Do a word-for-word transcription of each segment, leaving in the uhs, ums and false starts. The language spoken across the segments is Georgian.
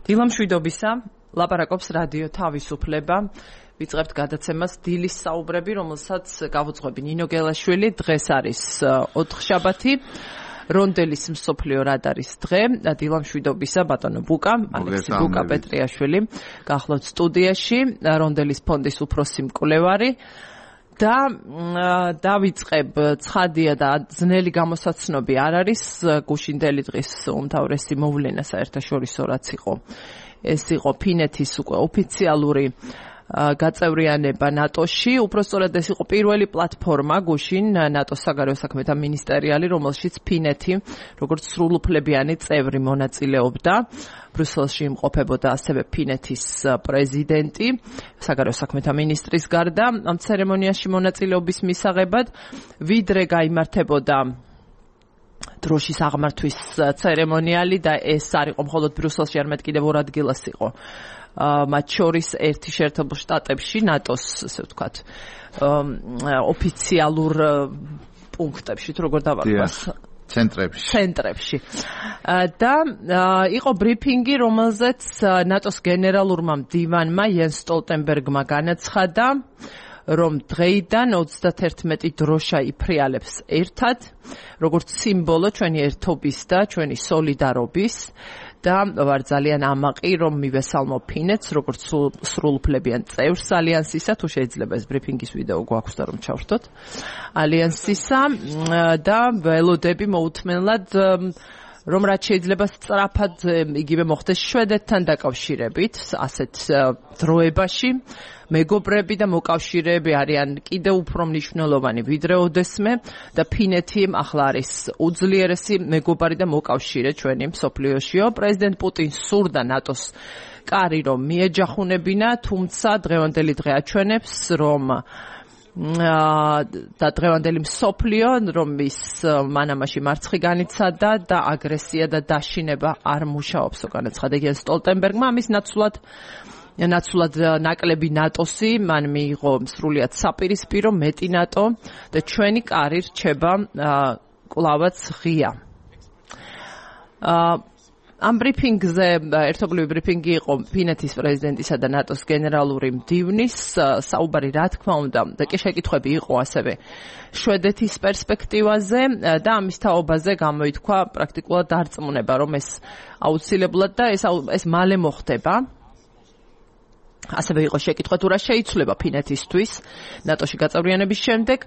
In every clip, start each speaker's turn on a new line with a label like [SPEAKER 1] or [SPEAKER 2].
[SPEAKER 1] დილამშვიდობისა, ლაპარაკობს რადიო თავისუფლება. ვიწყებთ გადაცემას დილის საუბრები, რომელსაც გავუძღვები ნინო გელაშვილი. დღეს არის ოთხშაბათი, რონდელის მსოფლიო რადარის დღე. დილამშვიდობისა, ბატონო ბუკა, ალექსი ბუკა პეტრიაშვილი, გახლავთ სტუდიაში, რონდელის ფონდის უფროსი მკვლევარი. და დავიწყებ ცხადია და ძნელი გამოსაცნობი არ არის გუშინდელი დღის უმთავრესი მოვლენა საერთაშორისო რაც იყო ეს იყო ფინეთის უკვე ოფიციალური გაწევრიანება ნატოში უпростоრად ეს იყო პირველი პლატფორმა გუშინ ნატოს საგარეო საქმეთა მინისტერიალი რომელშიც ფინეთი როგორც სრულუფლებიანი წევრი მონაწილეობდა ბრიუსელში იმყოფებოდა ასევე ფინეთის პრეზიდენტი საგარეო საქმეთა მინისტრის გარდა ამ ცერემონიაში მონაწილეობის მისაღებად ვიდრე გაიმართებოდა დროშის აღმართვის ცერემონიალი და ეს არ იყო მხოლოდ ბრიუსელში არამედ კიდევ ორ ადგილას იყო მათ შორის ერთი შეერთებულ შტატებში ნატოს ასე ვთქვათ ოფიციალურ პუნქტებში თუ როგორ დავარქვას
[SPEAKER 2] ცენტრებში
[SPEAKER 1] ცენტრებში და იყო ბრიფინგი რომელზეც ნატოს გენერალურმა მდივანმა იენს სტოლტენბერგმა განაცხადა რომ დღეიდან ოცდათერთმეტი დროშა იფრიალებს ერთად როგორც სიმბოლო ჩვენი ერთობის და ჩვენი სოლიდარობის და ვარ ძალიან ამაყი რომ მივესალმო ფინეთს როგორც სრულუფლებიან წევრს ალიანსისა თუ შეიძლება ეს ბრიფინგის ვიდეო გვაქვს და რომ ჩავრთოთ ალიანსისა და ველოდები მოუთმენლად რომ რაც შეიძლება სწრაფად იგივე მოხდეს შვედეთთან დაკავშირებით ასეთ დროებაში მეგობრები და მოკავშირეები არიან კიდევ უფრო მნიშვნელოვანი ვიდრე ოდესმე და ფინეთი ახლა არის უძლიერესი მეგობარი და მოკავშირე ჩვენი მსოფლიოშიო პრეზიდენტ პუტინს სურდა ნატოს კარი რომ მიეჯახუნებინა თუმცა დღევანდელი დღე აჩვენებს რომ და დღევანდელი მსოფლიო რომ ის მანამაში მარცხი განიცადა და აგრესია და დაშინება არ მუშაობს განაცხადა იენს სტოლტენბერგმა ამის ნაცვლად ნაცვლად ნაკლები ნატოსი მან მიიღო სრულიად საპირისპირო მეტი ნატო და ჩვენი კარი რჩება კვლავაც ღია ამ ბრიფინგზე ერთობლივი ბრიფინგი იყო ფინეთის პრეზიდენტისა და ნატოს გენერალური მდივნის საუბარი რა თქმა უნდა და კი შეკითხვები იყო ასევე შვედეთის პერსპექტივაზე და ამის თაობაზე გამოითქვა პრაქტიკულად დარწმუნება რომ ეს აუცილებლად და ეს ეს მალე მოხდება ასევე იყო შეკითხვა თუ რა შეიცვლება ფინეთისთვის ნატოში გაწევრიანების შემდეგ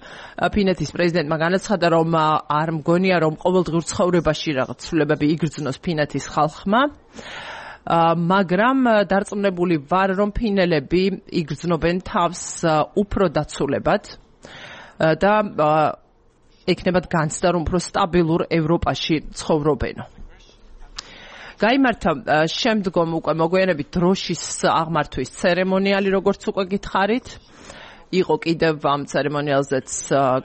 [SPEAKER 1] ფინეთის პრეზიდენტმა განაცხადა რომ არ მგონია რომ ყოველდღიურ ცხოვრებაში რაღაც ცვლილებები იგრძნოს ფინეთის ხალხმა მაგრამ დარწმუნებული ვარ რომ ფინელები იგრძნობენ თავს უფრო დაცულებად და ექნებათ განცდა რომ უფრო სტაბილურ ევროპაში ცხოვრობენო გაიმართა შემდგომ უკვე მოგვიანებით დროშის აღმართვის ცერემონიალი როგორც უკვე გითხარით იყო კიდევ ამ ცერემონიალზეც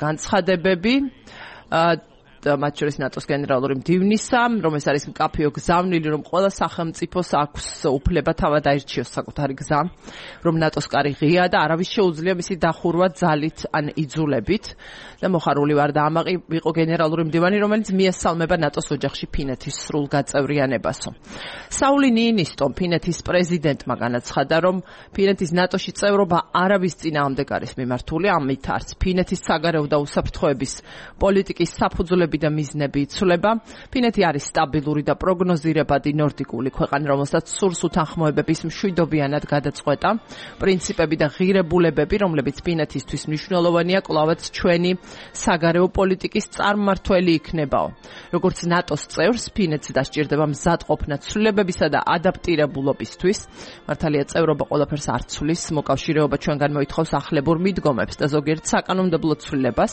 [SPEAKER 1] განცხადებები მათ შორის ნატოს გენერალური მდივნისა რომ ეს არის მკაფიო გზავნილი რომ ყველა სახელმწიფოს აქვს უფლება თავად აირჩიოს საკუთარი გზა რომ ნატოს კარი ღია და არავის შეუძლია მისი დახურვა ძალით ან იძულებით და მოხარული ვარ და ამაყი იყო გენერალური მდივანი რომელიც მიესალმება ნატოს ოჯახში ფინეთის სრულ გაწევრიანებასო საული ნიინისტომ ფინეთის პრეზიდენტმა განაცხადა რომ ფინეთის ნატოში წევრობა არავის წინააღმდეგ არის მიმართული ამით არც ფინეთის საგარეო და უსაფრთხოების პოლიტიკის საფუძვლები და მიზნები იცვლება. ფინეთი არის სტაბილური და პროგნოზირებადი ნორდიკული ქვეყანა, რომელსაც სურს უთანხმოებების მშვიდობიანად გადაწყვეტა. პრინციპები და ღირებულებები, რომლებიც ფინეთისთვის მნიშვნელოვანია, კვლავაც ჩვენი საგარეო პოლიტიკის წარმმართველი იქნებაო. როგორც ნატოს წევრს, ფინეთს დასჭირდება მზადყოფნა ცვლილებებისა და ადაპტირებულობისთვის. მართალია წევრობა ყველაფერს არ ცვლის, მოკავშირეობა ჩვენგან მოითხოვს ახლებურ მიდგომებს და ზოგიერთ საკანონმდებლო ცვლილებას.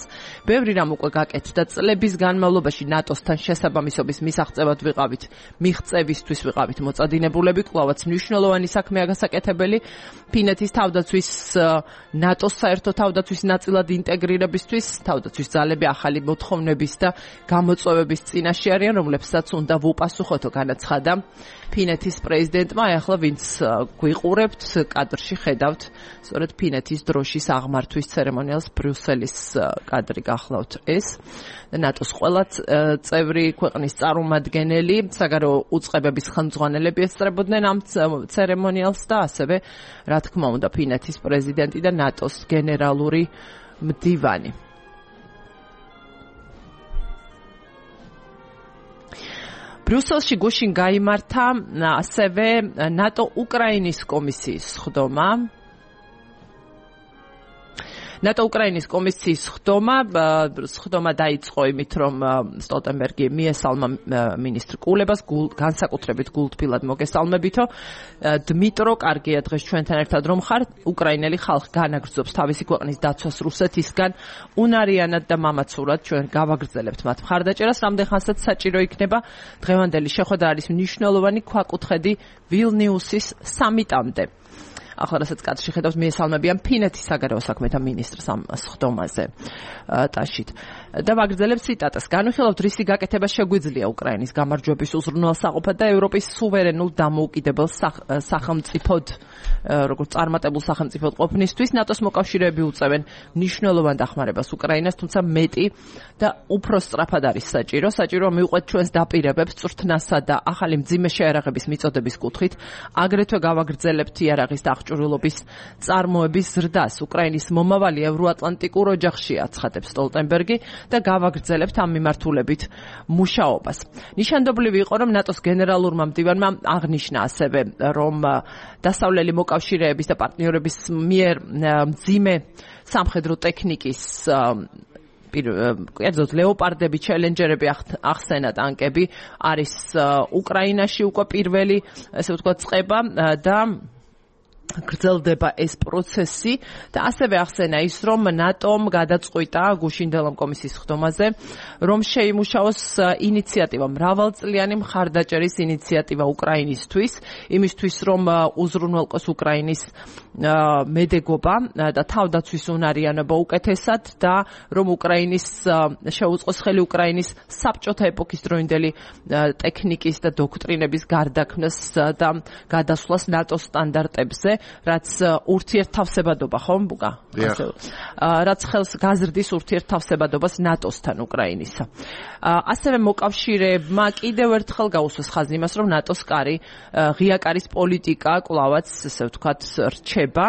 [SPEAKER 1] ბევრი რამ უკვე გაკეთდა წლების განმავლობაში ნატოსთან შესაბამისობის მისაღწევად ვიყავით მიღწევისთვის ვიყავით მოწადინებულები კვლავაც მნიშვნელოვანი საქმეა გასაკეთებელი ფინეთის თავდაცვის ნატოს საერთო თავდაცვის ნაწილად ინტეგრირებისთვის თავდაცვის ძალები ახალი მოთხოვნების და გამოწვევების წინაშე არიან რომლებსაც უნდა ვუპასუხოთო განაცხადა ფინეთის პრეზიდენტმა, ახლა ვინც გვიყურებთ კადრში ხედავთ, სწორედ ფინეთის დროშის აღმართვის ცერემონიალს ბრიუსელის კადრი გახლავთ ეს. ნატოს ყველა წევრი ქვეყნის წარმომადგენელი, საგარეო უწყებების ხელმძღვანელები ესწრებოდნენ ამ ცერემონიალს და ასევე, რა თქმა უნდა, ფინეთის პრეზიდენტი და ნატოს გენერალური მდივანი. ბრიუსელში გუშინ გაიმართა ასევე ნატო უკრაინის კომისიის სხდომა. ნატო უკრაინის კომისიის სხდომა, სხდომა დაიწყო იმით, რომ სტოლტენბერგი მიესალმა მინისტრ კულებას, განსაკუთრებით გულთბილად მოგესალმებითო. დმიტრო, კარგია დღეს ჩვენთან ერთად რომ ხარ, უკრაინელი ხალხი განაგრძობს თავისი ქვეყნის დაცვას რუსეთისგან, უნარიანად და მამაცურად ჩვენ გავაგრძელებთ მათ მხარდაჭერას, რამდენხანსაც საჭირო იქნება. დღევანდელი შეხვედრა არის მნიშვნელოვანი ქვაკუთხედი ვილნიუსის სამიტამდე. ახლა რასაც კადრში ხედავთ, მიესალმებიან ფინეთის საგარეო საქმეთა მინისტრს ამ სხდომაზე ტაშით. და ვაგრძელებ ციტატას. განვიხილავთ, რისი გაკეთება შეგვიძლია უკრაინის გამარჯვების უზრუნველსაყოფად და ევროპის სუვერენულ დამოუკიდებელ სახელმწიფოდ, როგორც წარმატებულ სახელმწიფოდ ყოფნისთვის, ნატოს მოკავშირეები უწევენ მნიშვნელოვან დახმარებას უკრაინას, თუმცა მეტი და უფრო სწრაფად არის საჭირო. საჭიროა მივყვეთ ჩვენს დაპირებებს წვრთნასა და ახალი მძიმე შეიარაღების მიწოდების კუთხით, აგრეთვე გავაგრძელებთ იარაღის აღჭურვილობის წარმოების ზრდას. უკრაინის მომავალი ევროატლანტიკურ ოჯახში აცხადებს სტოლტენბერგი და გავაგრძელებთ ამ მიმართულებით მუშაობას. ნიშანდობლივი იყო, რომ ნატოს გენერალურმა მდივანმა აღნიშნა ასევე, რომ დასავლელი მოკავშირეების და პარტნიორების მიერ მძიმე სამხედრო ტექნიკის კერძოდ ლეოპარდები, ჩელენჯერები ახსენა ტანკები არის უკრაინაში უკვე პირველი, ესე ვთქვათ, წყება და გრძელდება ეს პროცესი და ასევე ახსენა ის, რომ ნატომ გადაწყვიტა გუშინდელამ კომისიის სხდომაზე, რომ შეიმუშაოს ინიციატივა, მრავალწლიანი მხარდაჭერის ინიციატივა უკრაინისთვის, იმისთვის, რომ უზრუნველყოს უკრაინის მედეგობა და თავდაცვის უნარიანობა უკეთესად და რომ უკრაინის შეუწყოს ხელი უკრაინის საბჭოთა ეპოქის დროინდელი ტექნიკის და დოქტრინების გარდაქმნას და გადასვლას ნატოს სტანდარტებზე, რაც ურთიერთთავსებადობა ხომ ბუგა? რაც ხელს გაზრდის ურთიერთთავსებადობას ნატოსთან უკრაინისა. ასევე მოკავშირეებმა კიდევ ერთხელ გაუსვეს ხაზი იმას, რომ ნატოს კარი ღია კარის პოლიტიკა კვლავაც, ესე ვთქვათ, რჩება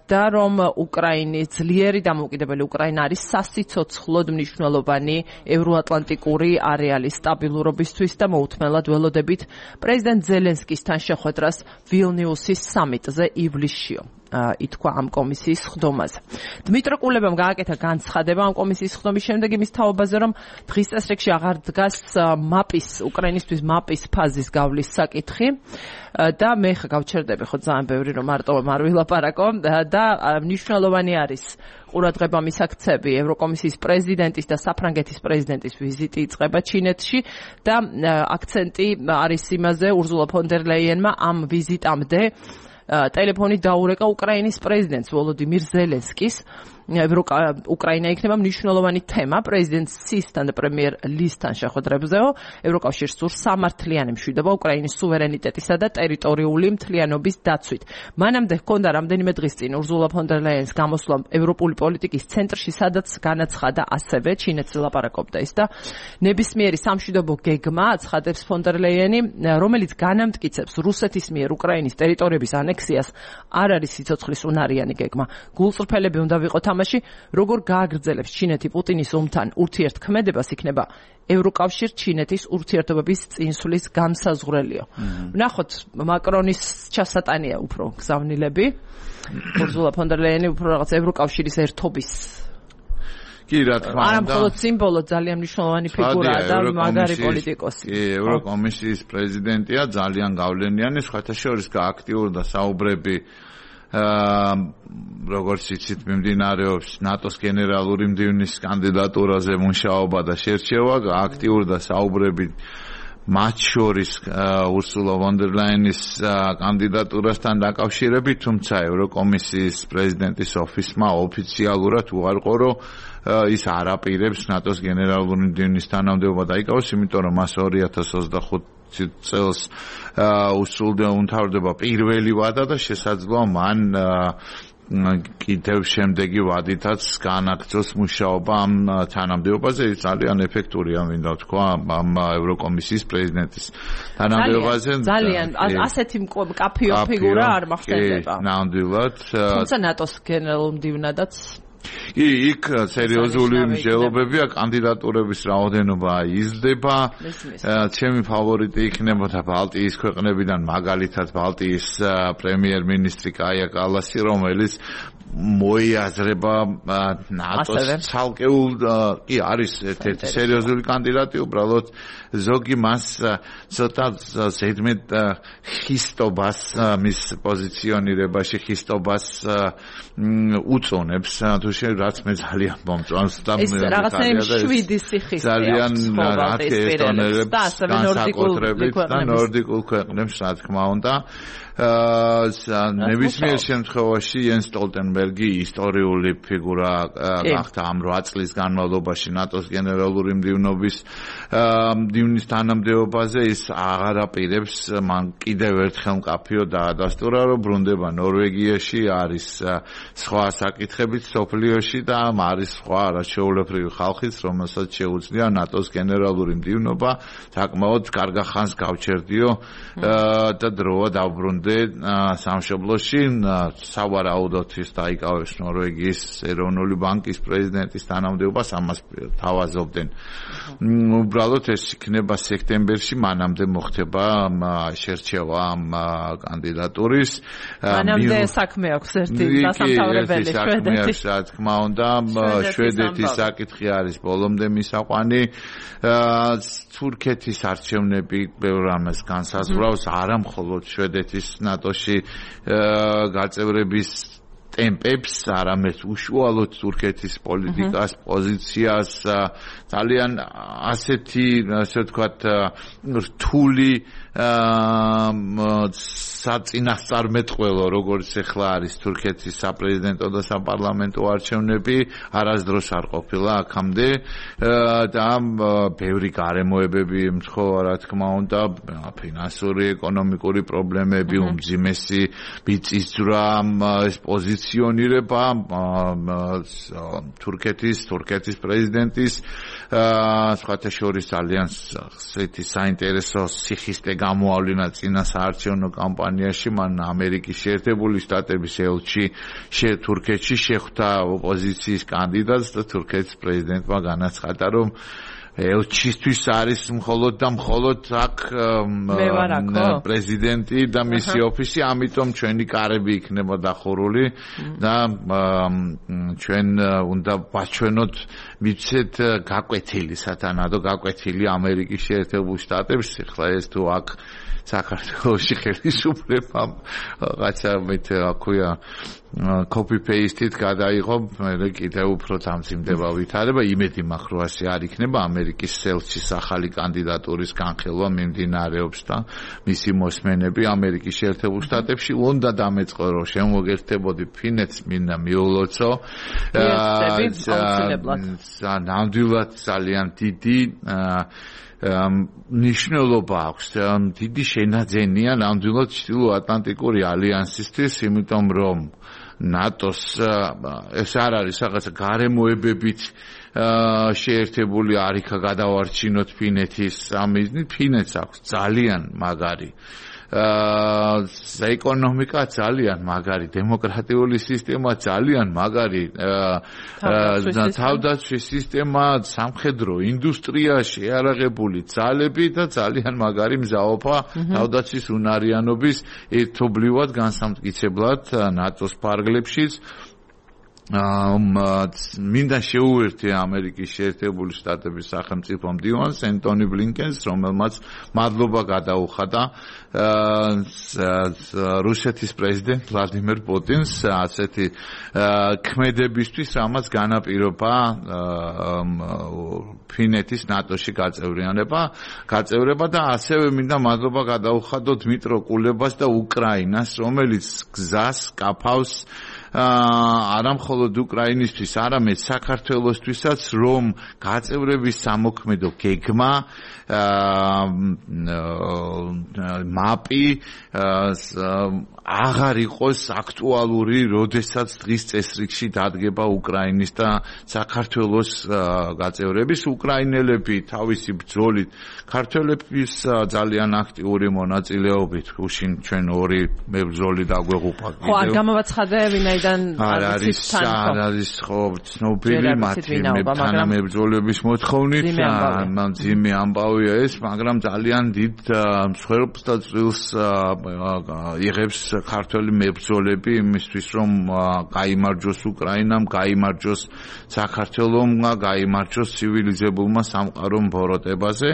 [SPEAKER 1] და რომ უკრაინის ძლიერი დამოუკიდებელი უკრაინა არის სასიცოცხლოდ მნიშვნელოვანი ევროატლანტიკური არეალის სტაბილურობისთვის და მოუთმენლად ველოდებით პრეზიდენტ ზელენსკისთან შეხვედრას ვილნიუსის სამიტზე ივლისშიო. ითქვა ამ კომისიის სხდომაზე. დმიტრო კულებამ გააკეთა განცხადება ამ კომისიის სხდომის შემდეგ იმის თაობაზე, რომ დღის წესრიგში აღარ დგას მაპის, უკრაინისთვის მაპის ფაზის გავლის საკითხი და მე ხა გავჩერდები ხო ძალიან ბევრი რომ მარტო არ ვილაპარაკო და მნიშვნელოვანი არის ყურადღება მისაქცევი ევროკომისიის პრეზიდენტის და საფრანგეთის პრეზიდენტის ვიზიტი იწყება ჩინეთში და აქცენტი არის იმაზე ურზულა ფონ დერ ლეიენმა ამ ვიზიტამდე ტელეფონით დაურეკა უკრაინის პრეზიდენტს ვოლოდიმირ ზელენსკის. უკრაინა იქნება მნიშვნელოვანი თემა პრეზიდენტ სისთან და პრემიერ ლისთან შეხვედრებზეო. ევროკავშირს სურს სამართლიანი მშვიდობა უკრაინის სუვერენიტეტისა და ტერიტორიული მთლიანობის დაცვით. მანამდე ჰქონდა რამდენიმე დღის წინ ურზულა ფონ დერ ლაიენის გამოსვლა ევროპული პოლიტიკის ცენტრში, სადაც განაცხადა ასევე ჩინეთს ლაპარაკობდა ის და ნებისმიერი სამშვიდობო გეგმა აცხადებს ფონ დერ ლაიენი, რომელიც განამტკიცებს რუსეთის მიერ უკრაინის ტერიტორიების ანექსიას, არ არის სიცოცხლის უნარიანი გეგმა. გულწრფელები უნდა ვიყოთ როგორ გააგრძელებს ჩინეთი პუტინის ომთან ურთიერთქმედებას, იქნება ევროკავშირ ჩინეთის ურთიერთობების წინსვლის განსაზღვრელიო. ვნახოთ მაკრონის ჩასატანია უფრო გზავნილები, ურზულა ფონ დერ ლაიენი უფრო რაღაც ევროკავშირის ერთობის
[SPEAKER 2] კი, რა თქმა უნდა.
[SPEAKER 1] არა მხოლოდ სიმბოლო, ძალიან მნიშვნელოვანი ფიგურაა და მაგარი პოლიტიკოსი.
[SPEAKER 2] კი, ევროკომისიის პრეზიდენტია, ძალიან გავლენიანი, სხვათა შორის გააქტიურდა საუბრები როგორც იცით, მიმდინარეობს ნატოს გენერალური მდივნის კანდიდატურაზე მუშაობა და შერჩევა, აქტიურდა საუბრები მათ შორის ურსულა ფონ დერ ლაიენის კანდიდატურასთან დაკავშირებით, თუმცა ევროკომისიის პრეზიდენტის ოფისმა ოფიციალურად უარყო, რომ ის არ აპირებს ნატოს გენერალური მდივნის თანამდებობა დაიკავოს, იმიტომ რომ მას ორი ათას ოცდახუთ წელს უსრულდება უმთავრდება პირველი ვადა და შესაძლოა მან კიდევ შემდეგი ვადითაც განაგრძოს მუშაობა ამ თანამდებობაზე. ის ძალიან ეფექტურია, მინდა ვთქვა, ამ ევროკომისიის პრეზიდენტის თანამდებობაზე.
[SPEAKER 1] ძალიან ასეთი მკაფიო ფიგურა არ მახსენდება.
[SPEAKER 2] ნამდვილად.
[SPEAKER 1] თუმცა ნატოს გენერალურ მდივნადაც
[SPEAKER 2] კი, იქ სერიოზული მსჯელობებია, კანდიდატურების რაოდენობა იზრდება. ჩემი ფავორიტი იქნებოდა ბალტიის ქვეყნებიდან, მაგალითად ბალტიის პრემიერ-მინისტრი კაია კალასი, რომელიც მოიაზრება ნატოს ცალკეულ კი არის ერთ-ერთი სერიოზული კანდიდატი, უბრალოდ ზოგი მას ცოტა ზედმეტ ხისტობას მის პოზიციონირებაში ხისტობას უწონებს, თუ შე რაც მე ძალიან მომწონს და
[SPEAKER 1] ეს რაღაცნაირი შვიდი სიხის
[SPEAKER 2] ძალიან რათი ესტონელებს განსაკუთრებით და ნორდიკულ ქვეყნებს რა თქმა უნდა ნებისმიერ შემთხვევაში იენს სტოლტენბერგი ისტორიული ფიგურა გახდა ამ რვა წლის განმავლობაში ნატოს გენერალური მდივნობის მდივნის თანამდებობაზე. ის აღარ აპირებს მან კიდევ ერთხელ მკაფიო დაადასტურა, რომ ბრუნდება ნორვეგიაში, არის სხვა საკითხებით სოფლიოში და არის სხვა არაჩვეულებრივი ხალხიც, რომელსაც შეუძლია ნატოს გენერალური მდივნობა საკმაოდ კარგ ხანს გავჩერდიო და დროა დაუბრუნდე სამშობლოში. სავარაუდოდ ის დაიკავებს ნორვეგიის ეროვნული ბანკის პრეზიდენტის თანამდებობას, ამას თავაზობდნენ. უბრალოდ ეს იქნება სექტემბერში, მანამდე მოხდება შერჩევა ამ კანდიდატურის.
[SPEAKER 1] მანამდე საქმე აქვს ერთი დასამთავრებელი შვედეთის.
[SPEAKER 2] რა თქმა უნდა, შვედეთის საკითხი არის ბოლომდე მისაყვანი. თურქეთის არჩევნები ბევრ რამეს განსაზღვრავს, არა მხოლოდ შვედეთის ნატოში გაწევრების ტემპებს, არამედ უშუალოდ თურქეთის პოლიტიკას, პოზიციას, ძალიან ასეთი, ასე ვთქვათ, რთული საწინასწარმეტყველო, როგორც ახლა არის თურქეთის საპრეზიდენტო და საპარლამენტო არჩევნები, არასდროს არ ყოფილა აქამდე და ბევრი გარემოებები ემთხვევა, რა თქმა უნდა, ფინანსური, ეკონომიკური პრობლემები, უმძიმესი მიწისძვრა, ეს პოზიციონირება თურქეთის, თურქეთის პრეზიდენტის, სხვათა შორის ძალიან საინტერესო სიხისტე გამოავლინა წინა საარჩევნო კამპანიაში. მან ამერიკის შეერთებული შტატების ელჩი თურქეთში შეხვდა ოპოზიციის კანდიდატს და თურქეთის პრეზიდენტმა განაცხადა, რომ ელჩისთვის არის მხოლოდ და მხოლოდ აქ პრეზიდენტი და მისი ოფისი, ამიტომ ჩვენი კარები იქნება დახურული და ჩვენ უნდა ვაჩვენოთ, მიცეთ გაკვეთილი სათანადო გაკვეთილი ამერიკის შეერთებულ შტატებს. ახლა ეს თუ აქ საქართველოში ხელისუფლებამ რაღაცა მეთ აქვია copy paste-ით გადაიღო, მე კიდევ უფრო დამძიმდება ვითარება. იმედი მაქვს, რომ ასე არ იქნება. ამერიკის ელჩის ახალი კანდიდატურის განხილვა მიმდინარეობს და მისი მოსმენები ამერიკის შეერთებულ შტატებში უნდა დამეწყო, რომ შემოგერთებოდი ფინეთს, მინდა მიულოცო. ნამდვილად ძალიან დიდი მნიშვნელობა აქვს, დიდი შენაძენია ნამდვილად ჩრდილოატლანტიკური ალიანსისთვის, იმიტომ რომ ნატოს ეს არ არის რაღაცა გარემოებებით შეერთებული არიქა გადავარჩინოთ ფინეთის ამიზნით. ფინეთს აქვს ძალიან მაგარი ეკონომიკა, ძალიან მაგარი დემოკრატიული სისტემა, ძალიან მაგარი თავდაცვის სისტემა, სამხედრო ინდუსტრია, შეარაღებული ძალები და ძალიან მაგარი მზაობა თავდაცვის უნარიანობის ერთობლივად განსამტკიცებლად ნატოს ფარგლებშიც. მინდა შეუერთე ამერიკის შეერთებული შტატების სახელმწიფო მდივანს ენტონი ბლინკენს, რომელმაც მადლობა გადაუხადა რუსეთის პრეზიდენტ ვლადიმერ პუტინს ასეთი ქმედებისთვის, რამაც განაპირობა ფინეთის ნატოში გაწევრიანება, გაწევრება და ასევე მინდა მადლობა გადაუხადო დმიტრო კულებას და უკრაინას, რომელიც გზას კაფავს არა მხოლოდ უკრაინისთვის, არამედ საქართველოსთვისაც, რომ გაწევრების სამოქმედო გეგმა, მაპი აღარ იყოს აქტუალური, როდესაც დღის წესრიგში დადგება უკრაინის და საქართველოს გაწევრების. უკრაინელები თავისი ბრძოლით, ქართველების ძალიან აქტიური მონაწილეობით, უშინ ჩვენ ორი მებრძოლი დაგვეღუპა.
[SPEAKER 1] ხო, არ გამოვაცხადე ვინაიდან
[SPEAKER 2] არის არ არის ხო ცნობილი მათი თანამებრძოლების მოთხოვნით, ძიმე ამბავია ეს, მაგრამ ძალიან დიდ მსხვერპლს და წილს იღებს ქართველი მებრძოლები იმისთვის, რომ გაიმარჯოს უკრაინამ, გაიმარჯოს საქართველომ, გაიმარჯოს ცივილიზებულმა სამყარომ ბოროტებაზე.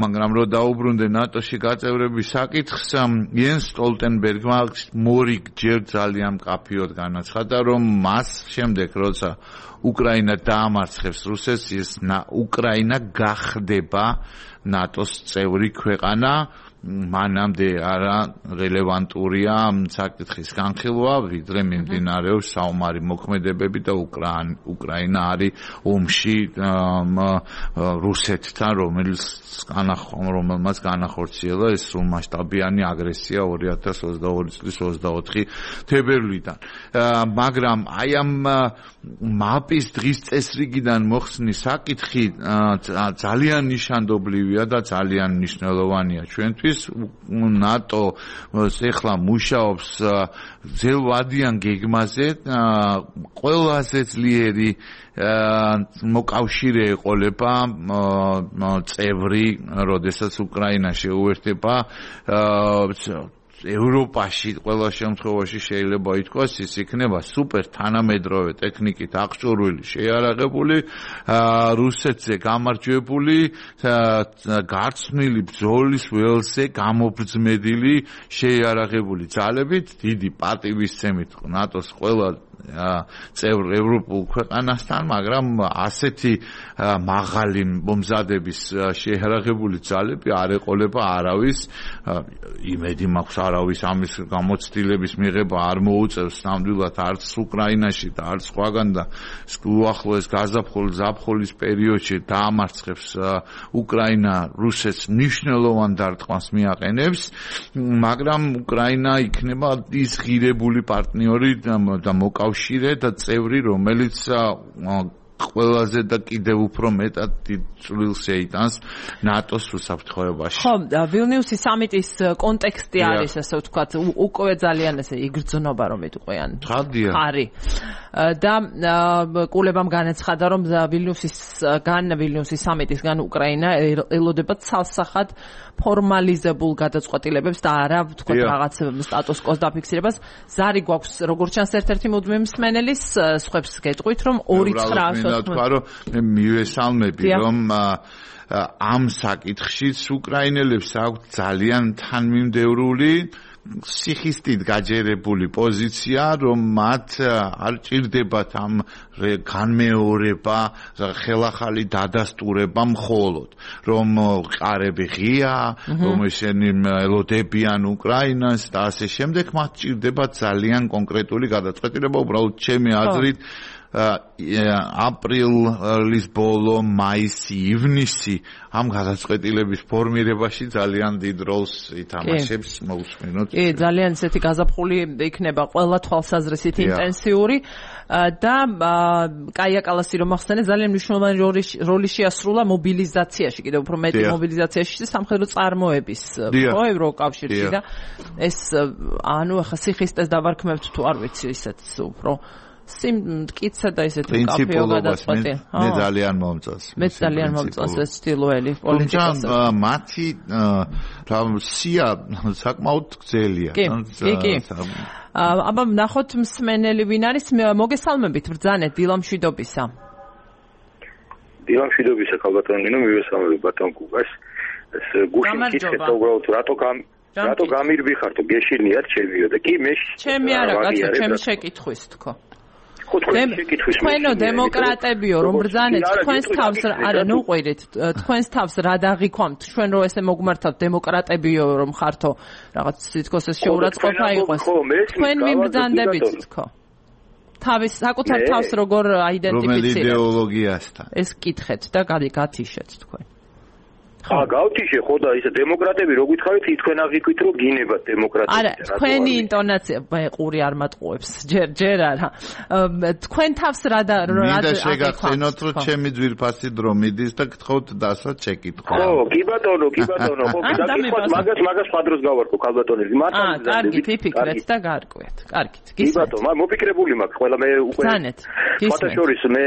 [SPEAKER 2] მაგრამ რომ დაუბრუნდე ნატოში გაწევრების საკითხს, იენს სტოლტენბერგმა მორიგჯერ ძალიან მკაფიოდ განაცხადა, რომ მას შემდეგ, როცა უკრაინა დაამარცხებს რუსეთს, ის უკრაინა გახდება ნატოს წევრი ქვეყანა. მანამდე არა რელევანტურია საკითხის განხილვა, ვიდრე მიმდინარეობს საომარი მოქმედებები და უკრაინა არის ომში რუსეთთან, რომელმაც განახორციელა ეს სრულმასშტაბიანი აგრესია ორი ათას ოცდაორი წლის ოცდაოთხი თებერვლიდან. მაგრამ აი ამ მაპის დღის წესრიგიდან მოხსნის საკითხი ძალიან ნიშანდობლივია და ძალიან მნიშვნელოვანია ჩვენთვის. ნატო ეხლა მუშაობს ძელვადიან გეგმაზე, ყველაზე ძლიერი მოკავშირე ეყოლება წევრი, როდესაც უკრაინა შეუერთდება ევროპაში ყველა შემთხვევაში შეიძლება ითქვას ის იქნება სუპერ თანამედროვე ტექნიკით აღჭურვილი, შეიარაღებული, რუსეთზე გამარჯვებული, გარცმილი ბრძოლის ველზე გამობრძმედილი შეიარაღებული ძალებით, დიდი პატივისცემით ნატოს ყველა წევრ ევროპულ ქვეყანასთან, მაგრამ ასეთი მაღალი მომზადების შეიარაღებული ძალები არ ეყოლება არავის. იმედი მაქვს არავის ამის გამოცდილების მიღება არ მოუწევს ნამდვილად არც უკრაინაში და არც სხვაგან და უახლოეს გაზაფხულ-ზაფხულის პერიოდში დაამარცხებს უკრაინა რუსეთს მნიშვნელოვან დარტყმას მიაყენებს, მაგრამ უკრაინა იქნება ის ღირებული პარტნიორი და მოკავშირე და წევრი, რომელიც ყველაზე და კიდევ უფრო მეტად დიდ წვლილს ეიტანს ნატოს უსაფრთხოებაში.
[SPEAKER 1] ხო, ვილნიუსის სამიტის კონტექსტი არის, ასე ვთქვათ, უკვე ძალიან ესე იგრძნობა, რომ იტყვიან. ხარი. და კულებამ განაცხადა, რომ ვილნიუსის გან ვილნიუსის სამიტისგან უკრაინა ელოდება ცალსახად ფორმალიზებულ გადაწყვეტილებებს და არა ვთქვათ რაღაც სტატუს კოს დაფიქსირებას. ზარი გვაქვს როგორც ჩანს ერთ-ერთი მუდმივი მსმენელის, სხვებს გეტყვით, რომ ორი ცხრა
[SPEAKER 2] მინდა თქვა, რომ მე მივესალმები, რომ ამ საკითხშიც უკრაინელებს აქვთ ძალიან თანმიმდევრული სიხისტით გაჯერებული პოზიცია, რომ მათ არ ჭირდებათ ამ განმეორება, ხელახალი დადასტურება მხოლოდ, რომ ყარები ღია, რომ ისინი ელოდებიან უკრაინას და ასე შემდეგ, მათ ჭირდებათ ძალიან კონკრეტული გადაწყვეტილება, უბრალოდ ჩემი აზრით აპრილის ბოლო, მაისი, ივნისი ამ გადაწყვეტილების ფორმირებაში ძალიან დიდ როლს ითამაშებს, მოусმინოთ.
[SPEAKER 1] კი, ძალიან ისეთი გაზაფხული იქნება ყველა თვალსაზრისით ინტენსიური და კაია კალასი რომ ახსენე, ძალიან მნიშვნელოვანი როლი შეასრულა მობილიზაციაში, კიდევ უფრო მეტი მობილიზაციაში და სამხედრო წარმოების ხო ევროკავშირში და ეს ანუ ახლა სიხისტეს დავარქმევთ თუ არ ვიცი, ისეთ უფრო სიმტკიცე და ისეთი მკაფიო გადაწყვეტი.
[SPEAKER 2] მე ძალიან მომწონს.
[SPEAKER 1] მე ძალიან მომწონს ეს სტილოელი პოლიტიკას.
[SPEAKER 2] თუმცა მათი რა სია საკმაოდ გრძელია.
[SPEAKER 1] კი, კი. აბა ნახოთ მსმენელი ვინ არის, მოგესალმებით ბრძანეთ დილამშვიდობისა.
[SPEAKER 3] დილამშვიდობისა ქალბატონინო, მივესალმები ბატონ გუგას. ეს გუშინ კითხეთ უბრალოდ რატო გამ რატო გამირბიხართო გეშინიათ ჩემიო და კი მე
[SPEAKER 1] ჩემი არა კაცო, ჩემი შეკითხვის თქო. თქვენო დემოკრატებიო რომ ბრძანეთ თქვენს თავს არა ნუ ყვირით თქვენს თავს რა დაღიქვამთ ჩვენ რო ესე მოგმართავთ დემოკრატებიო რომ ხართო რაღაც თითქოს ეს შეურაცხყოფა იყოს თქვენ მიმბრძანდებით თქო თავის საკუთარ თავს როგორ აიდენტიფიცირებთ?
[SPEAKER 2] რომელი იდეოლოგიასთან?
[SPEAKER 1] ეს კითხეთ და გათიშეთ თქვენ.
[SPEAKER 3] აა გავთიშე ხო და ისე დემოკრატები რო გითხარით თქვენ აღიქვით რომ გინებათ დემოკრატია.
[SPEAKER 1] არა, თქვენი ინტონაცია ყური არ მატყუებს ჯერ ჯერ არა. თქვენ თავს რა და რა
[SPEAKER 2] მინდა შეგახსენოთ რომ ჩემი ძვირფასი დრო მიდის და გთხოვთ დასვათ შეკითხვა.
[SPEAKER 3] ხო, კი ბატონო, კი ბატონო, ხო, გაკითხოთ მაგას მაგას ფადროს გავარქო ქალბატონები.
[SPEAKER 1] მართლა აა, კარგი, ფიფიქრეთ და გარკვეთ. კარგით.
[SPEAKER 3] კი ბატონო, მოფიქრებული მაქვს ყველა მე უკვე.
[SPEAKER 1] ძანეთ.
[SPEAKER 3] ფოტოშორის მე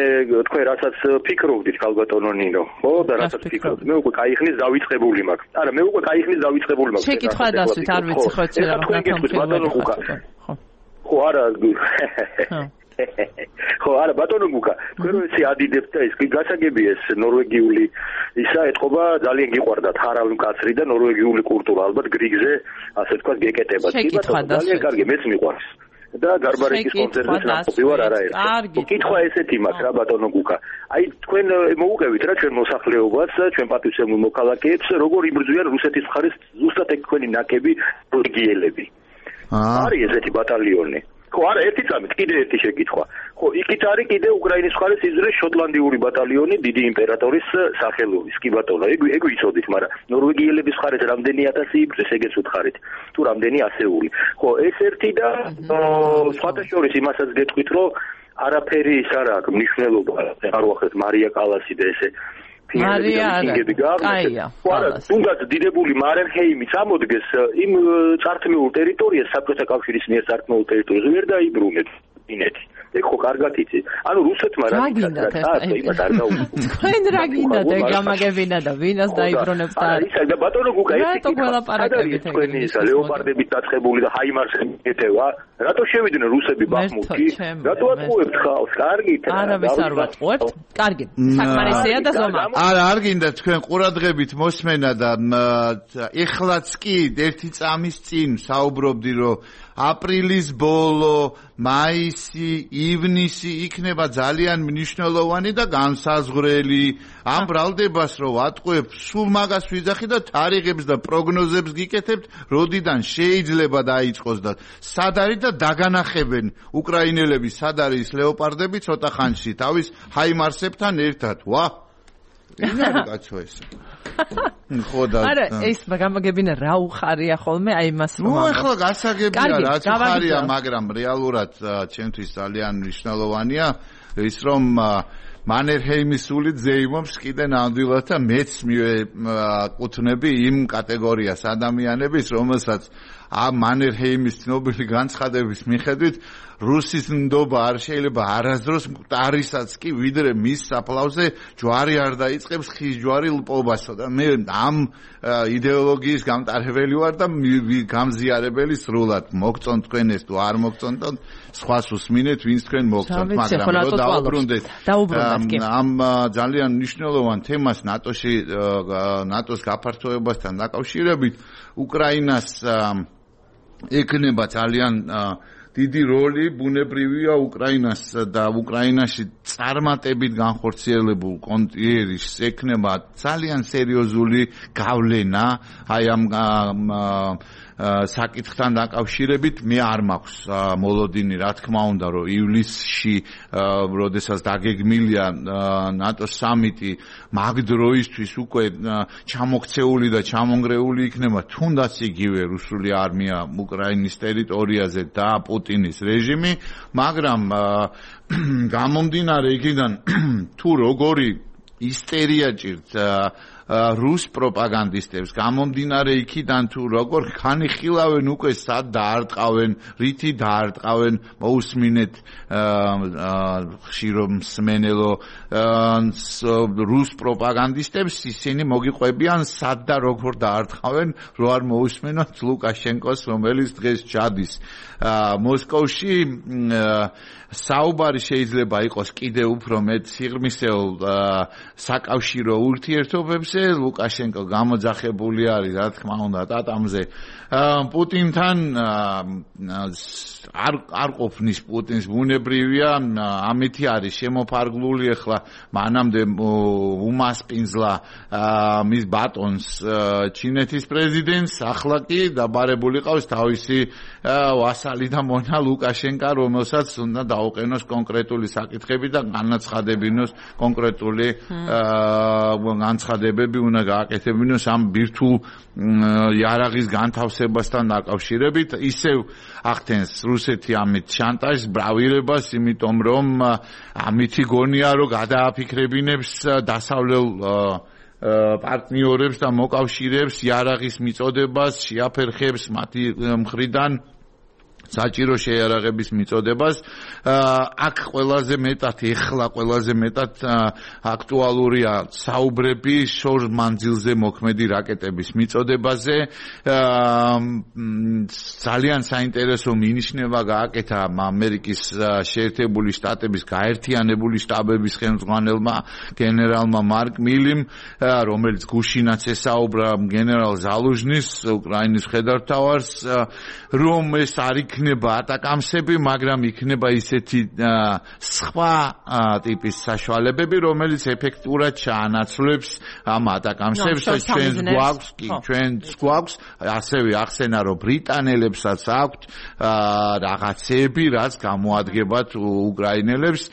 [SPEAKER 3] თქვენ რასაც ფიქრობდით ქალბატონო ნინო. ხო და რასაც ფიქრობთ მე უკვე кайხნი დავიწყებული მაქვს. არა, მე უკვე кайხნის დავიწყებული მაქვს.
[SPEAKER 1] შეკითხვა დასვით, არ ვიცი ხო ეცე რა
[SPEAKER 3] ბატონო ხუქა. ხო, არა. ხო, არა, ბატონო გუკა, თქვენ რო ეცე ადიდებთ და ის კი გასაგებია ეს ნორვეგიული ისა ეთყობა ძალიან გიყვარდათ ჰარავი მკაცრი და ნორვეგიული კულტურა ალბათ გრიგზე ასე თქვა გეკეტებათ. კი ბატონო, ძალიან კარგი, მეც მიყვარს. და გარბარეკის კონცერტზე ნამყოფი ვარ არაერთი. კითხვა ესეთი მაქვს რა ბატონო გუკა. აი თქვენ მოუყევით რა ჩვენ მოსახლეობას, ჩვენ პატრიოტულ მოქალაქეებს, როგორ იბრძვიან რუსეთის მხარეს ზუსტად ეგ თქვენი ნაკები რეგიელები. არის ესეთი ბატალიონი. ხო, არა, ერთი წამით კიდე ერთი შეკითხვა. ხო, იქით არის კიდე უკრაინის მხარეს იზრეს შოტლანდიური ბატალიონი დიდი იმპერატორის სახელობის. კი ბატონო, ეგ ეგ ვიცოდით, მაგრამ ნორვეგიელების მხარეს რამდენი ათასი იბრძეს, ეგეც უთხარით. თუ რამდენი ასეული. ხო, ეს ერთი და სხვათა შორის იმასაც გეტყვით, რომ არაფერი ის არ აქვს მნიშვნელობა. არ ვახერხეთ მარია კალასი და ესე
[SPEAKER 1] მარია არა.
[SPEAKER 3] არა, თუნდაც დიდებული მარენჰეიმი წამოდგეს იმ წართმეულ ტერიტორიას საბჭოთა კავშირის მიერ წართმეულ ტერიტორიაზე ვერ დაიბრუნეთ ინეთი. ეგ ხო კარგად იცით. ანუ რუსეთმა რა გინდათ იმას არ დაუბრუნდათ.
[SPEAKER 1] თქვენ რა გინდათ ეგ გამაგებინა და ვინას დაიბრუნებს და
[SPEAKER 3] არა ისა და ბატონო გუკა ეს
[SPEAKER 1] გველაპარაკებით
[SPEAKER 3] თქვენი ისა ლეოპარდებით დაწყებული და ჰაიმარსები ეთევა. რატო შევიდნენ რუსები ბახმუტში? რატო ატყუებთ ხალხს? კარგით.
[SPEAKER 1] არავის არ ვატყუებთ. კარგი. საკმარისია და ზომა.
[SPEAKER 2] არა, არ გინდა თქვენ ყურადღებით მოსმენა და ეხლაც კი ერთი წამის წინ საუბრობდი რომ აპრილის ბოლო, მაისი, ივნისი იქნება ძალიან მნიშვნელოვანი და განსაზღვრელი. ამ ბრალდებას რო ვატყუებ, სულ მაგას ვიძახი და თარიღებს და პროგნოზებს გიკეთებთ, როდიდან შეიძლება დაიწყოს და სად არის და დაგანახებენ უკრაინელები სად არის ლეოპარდები ცოტა ხანში თავის ჰაიმარსებთან ერთად. ვა! ის არის კაცო ეს. ხო და
[SPEAKER 1] არა ეს გამაგებინა რა უხარია ხოლმე აი მას
[SPEAKER 2] რომ ნუ ახლა გასაგებია რაც უხარია მაგრამ რეალურად ჩემთვის ძალიან მნიშვნელოვანია ის რომ მანერჰეიმის სული ზეიმობს კიდე ნამდვილად და მეც მივეკუთვნები იმ კატეგორიას ადამიანების რომელსაც ამ მანერჰეიმის ცნობილი განცხადების მიხედვით რუსის ნდობა არ შეიძლება არასდროს მკვდარისაც კი ვიდრე მის საფლავზე ჯვარი არ დაიწყებს ხის ჯვარი ლპობასო და მე ამ იდეოლოგიის გამტარებელი ვარ და გამზიარებელი სრულად მოგწონთ თქვენ ეს თუ არ მოგწონთ სხვას უსმინეთ ვინც თქვენ მოგწონთ მაგრამ რო დაუბრუნდეთ ამ ძალიან მნიშვნელოვან თემას ნატოში ნატოს გაფართოებასთან დაკავშირებით უკრაინას ეკნება ძალიან დიდი როლი ბუნებრივია უკრაინას და უკრაინაში წარმატებით განხორციელებულ კონტინენტის ეკნება ძალიან სერიოზული გავლენა აი ამ საკითხთან დაკავშირებით მე არ მაქვს მოლოდინი რა თქმა უნდა რომ ივლისში როდესაც დაგეგმილია ნატოს სამიტი მაგ დროისთვის უკვე ჩამოქცეული და ჩამონგრეული იქნება თუნდაც იგივე რუსული არმია უკრაინის ტერიტორიაზე და პუტინის რეჟიმი მაგრამ გამომდინარე იქიდან თუ როგორი ისტერია ჭირთ რუს პროპაგანდისტებს გამომდინარე იქიდან თუ როგორ ხანიხილავენ უკვე სად დაარტყავენ, რითი დაარტყავენ, მოусმინეთ ხშირო მსმენელო რუს პროპაგანდისტებს ისინი მოგიყვებიან სად და როგორ დაარტყავენ, რო არ მოусმინოთ ლუკაშენკოს, რომელიც დღეს ჩადის მოსკოვში საუბარი შეიძლება იყოს კიდე უფრო მეტ სიღრმისეულ საკავშირო ურთიერთობებზე ასე ლუკაშენკო გამოძახებული არის, რა თქმა უნდა, ტატამზე. პუტინთან არ არ ყოფნის პუტინს ბუნებრივია, ამითი არის შემოფარგლული ახლა მანამდე უმასპინძლა მის ბატონს ჩინეთის პრეზიდენტს, ახლა კი დაბარებული ყავს თავისი ვასალი და მონა ლუკაშენკა, რომელსაც უნდა დაუყენოს კონკრეტული საკითხები და განაცხადებინოს კონკრეტული განცხადებები უნდა გააკეთებინოს ამ ბირთვულ იარაღის განთავსებასთან დაკავშირებით. ისევ ახდენს რუსეთი ამით შანტაჟს, ბრავირებას, იმიტომ რომ ამითი გონია რომ გადააფიქრებინებს დასავლელ პარტნიორებს და მოკავშირეებს იარაღის მიწოდებას, შეაფერხებს მათი მხრიდან საჭირო შეიარაღების მიწოდებას. აქ ყველაზე მეტად ეხლა ყველაზე მეტად აქტუალურია საუბრები შორ მანძილზე მოქმედი რაკეტების მიწოდებაზე. ძალიან საინტერესო მინიშნება გააკეთა ამერიკის შეერთებული შტატების გაერთიანებული შტაბების ხელმძღვანელმა გენერალმა მარკ მილიმ, რომელიც გუშინაც ესაუბრა გენერალ ზალუჟნის, უკრაინის მხედართმთავარს, რომ ეს არის იქნება ატაკამსები, მაგრამ იქნება ისეთი სხვა ტიპის საშუალებები, რომელიც ეფექტურად ჩაანაცვლებს ამ ატაკამსებს. ჩვენს გვაქვს, კი, ჩვენს გვაქვს, ასევე ახსენა, რომ ბრიტანელებსაც აქვთ რაღაცები, რაც გამოადგებათ უკრაინელებს.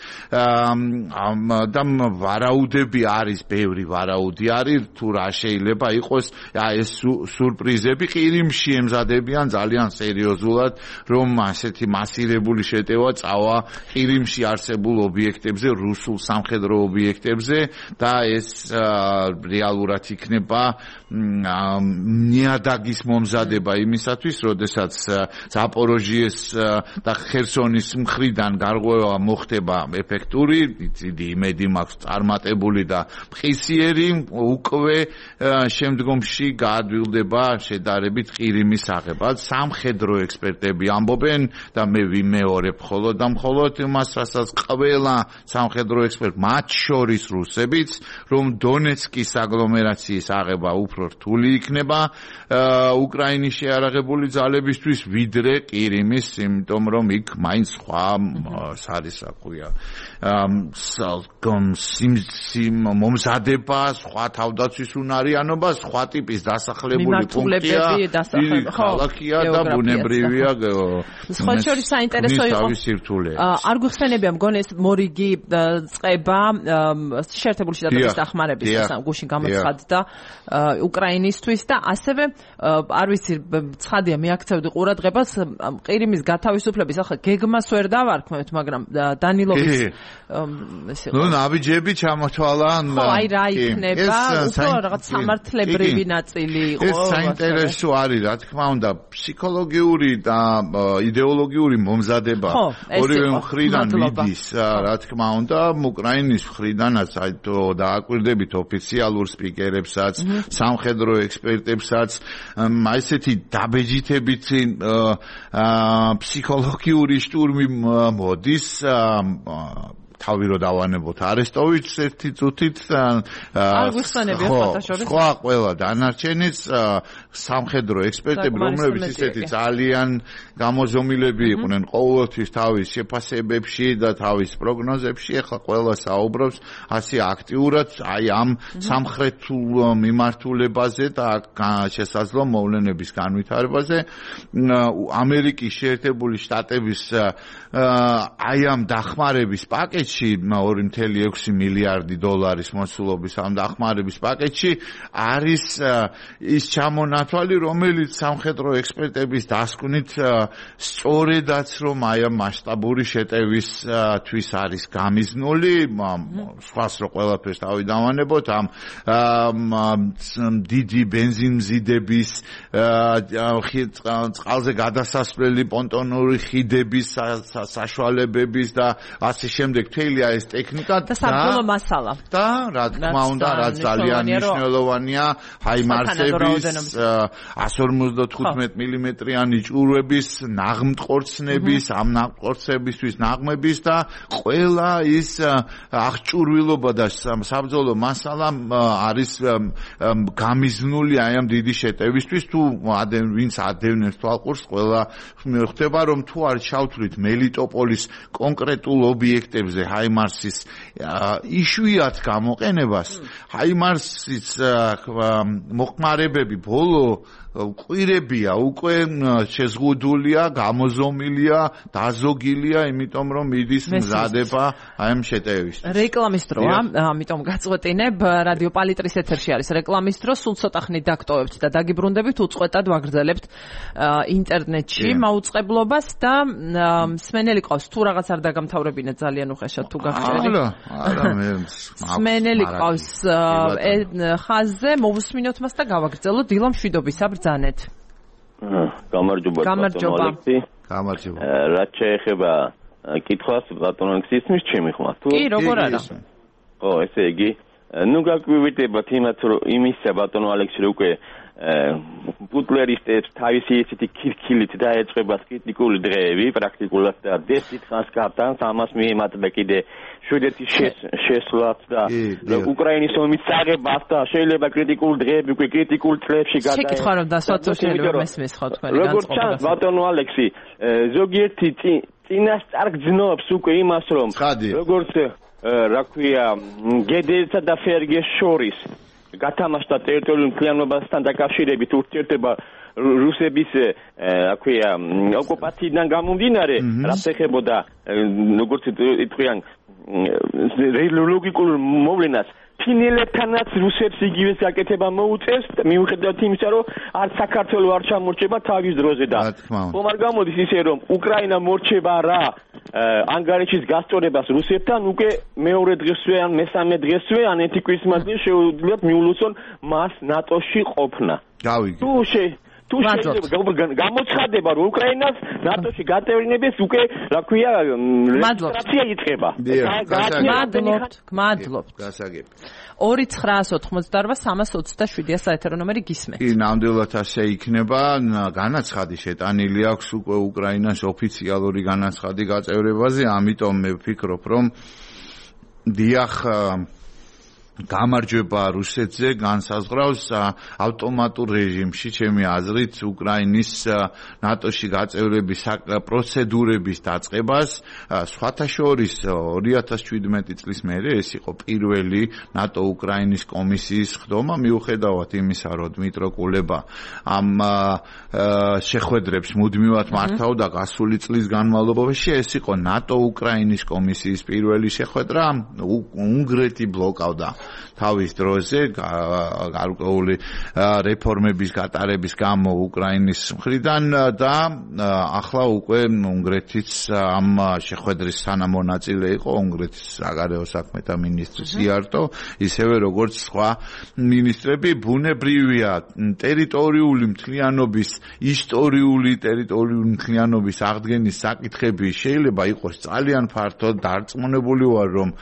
[SPEAKER 2] და ვარაუდები არის, ბევრი ვარაუდი არის, თუ რა შეიძლება იყოს ეს სურპრიზები. ყირიმში ემზადებიან ძალიან სერიოზულად, რომ ასეთი მასირებული შეტევა წავა ყირიმში არსებულ ობიექტებზე, რუსულ სამხედრო ობიექტებზე და ეს რეალურად იქნება ნიადაგის მომზადება იმისათვის, როდესაც ზაპოროჟიეს და ხერსონის მხრიდან გარღვევა მოხდება ეფექტური, დიდი იმედი მაქვს წარმატებული და მყისიერი, უკვე შემდგომში გაადვილდება შედარებით ყირიმის აღება. სამხედრო ექსპერტები ამბობენ და მე ვიმეორებ მხოლოდ და მხოლოდ იმას, რასაც ყველა სამხედრო ექსპერტი, მათ შორის რუსებიც, რომ დონეცკის აგლომერაციის აღება უფრო რთული იქნება უკრაინის შეიარაღებული ძალებისთვის, ვიდრე ყირიმის, იმიტომ რომ იქ მაინც სხვა არის, რა ქვია, მომზადება, სხვა თავდაცვის უნარიანობა, სხვა ტიპის დასახლებული პუნქტია, ქალაქია და ბუნებრივია.
[SPEAKER 1] სხვა შორის საინტერესო იყო. არ გვიხსენებია მგონი ეს მორიგი წყება შეერთებული შტატების დახმარების გუშინ გამოცხადდა უკრაინისთვის და ასევე არ ვიცი, ცხადია მიაქცევდი ყურადღებას ყირიმის გათავისუფლების, ახლა გეგმას ვერ დავარქმევთ, მაგრამ დანილოვის ეს იყო.
[SPEAKER 2] ნუ ნაბიჯები ჩამოთვალა.
[SPEAKER 1] ხო, აი რა იქნება, უფრო რაღაც სამართლებრივი ნაწილი იყო.
[SPEAKER 2] ეს საინტერესო არის, რა თქმა უნდა, ფსიქოლოგიური და იდეოლოგიური მომზადება ორივე მხრიდან მიდის, რა თქმა უნდა, უკრაინის მხრიდანაც აი დააკვირდებით ოფიციალურ სპიკერებსაც, სამხედრო ექსპერტებსაც, ესეთი დაბეჯითებით ფსიქოლოგიური შტურმი მოდის. თავი რო დავანებოთ არესტოვიჩს ერთი წუთით, სხვა ყველა დანარჩენიც სამხედრო ექსპერტები, რომლებიც ისეთი ძალიან გამოზომილები იყვნენ ყოველთვის თავის შეფასებებში და თავის პროგნოზებში, ახლა ყველა საუბრობს ასე აქტიურად აი ამ სამხრეთულ მიმართულებაზე და შესაძლო მოვლენების განვითარებაზე. ამერიკის შეერთებული შტატების აი ამ დახმარების პაკეტში ორი ნული ექვსი მილიარდი დოლარის მოსულობის ამ დახმარების პაკეტში არის ის ჩამონათვალი, რომელიც სამხედრო ექსპერტების დასკვნით სწორედაც რომ აი ამ მასშტაბური შეტევისთვის არის გამიზნული, სხვას რო ყველაფერს თავი დავანებოთ, ამ დიდი ბენზინმზიდების, წყალზე გადასასვლელი პონტონური ხიდების საშუალებების და ასე შემდეგ მთელი ეს ტექნიკა
[SPEAKER 1] და საბრძოლო მასალა.
[SPEAKER 2] და რა თქმა უნდა, რაც ძალიან მნიშვნელოვანია, ჰაიმარსების one fifty-five მილიმეტრიანი ჭურვების, ნაღმტყორცნების, ამ ნაღმტყორცნებისთვის ნაღმების და ყველა ის აღჭურვილობა და საბრძოლო მასალა არის გამიზნული აი ამ დიდი შეტევისთვის. თუ ვინც ადევნებს თვალყურს, ყველა ხდება რომ თუ არ ჩავთვლით მელიტოპოლის კონკრეტულ ობიექტებზე ჰაიმარსის იშვიათ გამოყენებას, ჰაიმარსის მოხმარებები ბოლო კვირებია უკვე შეზღუდულია, გამოზომილია, დაზოგილია, იმიტომ რომ მიდის მზადება აი ამ შეტევისთვის.
[SPEAKER 1] რეკლამის დროა, ამიტომ გაწყვეტინებ, რადიო პალიტრის ეთერში არის რეკლამის დრო, სულ ცოტა ხნით დაგტოვებთ და დაგიბრუნდებით, უწყვეტად ვაგრძელებთ ინტერნეტში მაუწყებლობას და მსმენელი ყავს, თუ რაღაც არ დაგამთავრებინეთ ძალიან უხეშად თუ გაგჭერი.
[SPEAKER 2] არა, არა, მე
[SPEAKER 1] მსმენელი ყავს ხაზზე, მოვუსმინოთ მას და გავაგრძელოთ დილა მშვიდობისა ბრძანეთ.
[SPEAKER 4] გამარჯობა ბატონო ალექსი.
[SPEAKER 2] გამარჯობა.
[SPEAKER 4] რაც შეეხება კითხვას ბატონო ალექსი, ისმის ჩემი ხმა თუ?
[SPEAKER 1] კი, როგორ არა.
[SPEAKER 4] ო, ესე იგი, ნუ გაგვივიდებათ იმათ რომ იმისა ბატონო ალექსი რო უკვე პუტლერისტებს თავისი ისეთი ქირქილით დაეწყება კრიტიკული დღეები, პრაქტიკულად და დესით ხანს გატანს, ამას მიემატება კიდე შვედეთის შესვლაც და უკრაინის ომის წაღებას და შეიძლება კრიტიკული დღეები უკვე კრიტიკულ წლებში გადაეცა.
[SPEAKER 1] შეკითხვა რომ დასვათ შეიძლება მესმის ხო თქვენი განწყობა.
[SPEAKER 4] როგორც ჩანს ბატონო ალექსი, ზოგიერთი წინასწარ გძნობს უკვე იმას რომ როგორც რა ქვია გედელსა და ფერგეს შორის გათამაშდა ტერიტორიულ მთლიანობასთან დაკავშირებით ურთიერთობა რუსების რა ქვია ოკუპაციიდან გამომდინარე, რაც ეხებოდა როგორც იტყვიან ლოგიკურ მოვლენას ფინელებთანაც რუსებს იგივე საკეთება მოუწევს, მიუხედავად იმისა, რომ არც საქართველოს არ ჩამორჩება თავის დროზე და ხომ არ გამოდის ისე, რომ უკრაინა მორჩება რა ანგარიშის გასწორებას რუსებთან უკვე მეორე დღესვე ან მესამე დღესვე ან ერთი კვირის მანძილში შეუძლიათ მიულოცონ მას ნატოში ყოფნა.
[SPEAKER 2] გავიგე.
[SPEAKER 4] თუ შე თუ შეიძლება გამოცხადება რომ უკრაინას ნატოში გაწევრინების უკვე რა ქვია რეგისტრაცია იწყება.
[SPEAKER 1] მადლობთ, მადლობთ.
[SPEAKER 2] გასაგები.
[SPEAKER 1] ორი ცხრაას ოთხმოცდაოთხ სამას ოცდაშვიდია საეთერო ნომერი გისმენთ.
[SPEAKER 2] კი, ნამდვილად ასე იქნება. განაცხადი შეტანილი აქვს უკვე უკრაინას ოფიციალური განაცხადი გაწევრებაზე, ამიტომ მე ვფიქრობ, რომ დიახ გამარჯვება რუსეთზე განსაზღვრავს ავტომატურ რეჟიმში ჩემი აზრით უკრაინის ნატოში გაწევრების პროცედურების დაწყებას. სხვათა შორის ორი ათას შვიდმეტი წლის მერე ეს იყო პირველი ნატო უკრაინის კომისიის ხდომა, მიუხედავად იმისა, რომ დმიტრო კულება ამ შეხვედრებს მუდმივად მართავდა გასული წლის განმავლობაში. ეს იყო ნატო უკრაინის კომისიის პირველი შეხვედრა, უნგრეთი ბლოკავდა თავის დროზე გარკვეული რეფორმების გატარების გამო უკრაინის მხრიდან და ახლა უკვე უნგრეთიც ამ შეხვედრის თანამონაწილე იყო, უნგრეთის საგარეო საქმეთა მინისტრი სიარტო, ისევე როგორც სხვა მინისტრები. ბუნებრივია ტერიტორიული მთლიანობის, ისტორიული ტერიტორიული მთლიანობის აღდგენის საკითხები შეიძლება იყოს ძალიან ფართო, დარწმუნებული ვარ რომ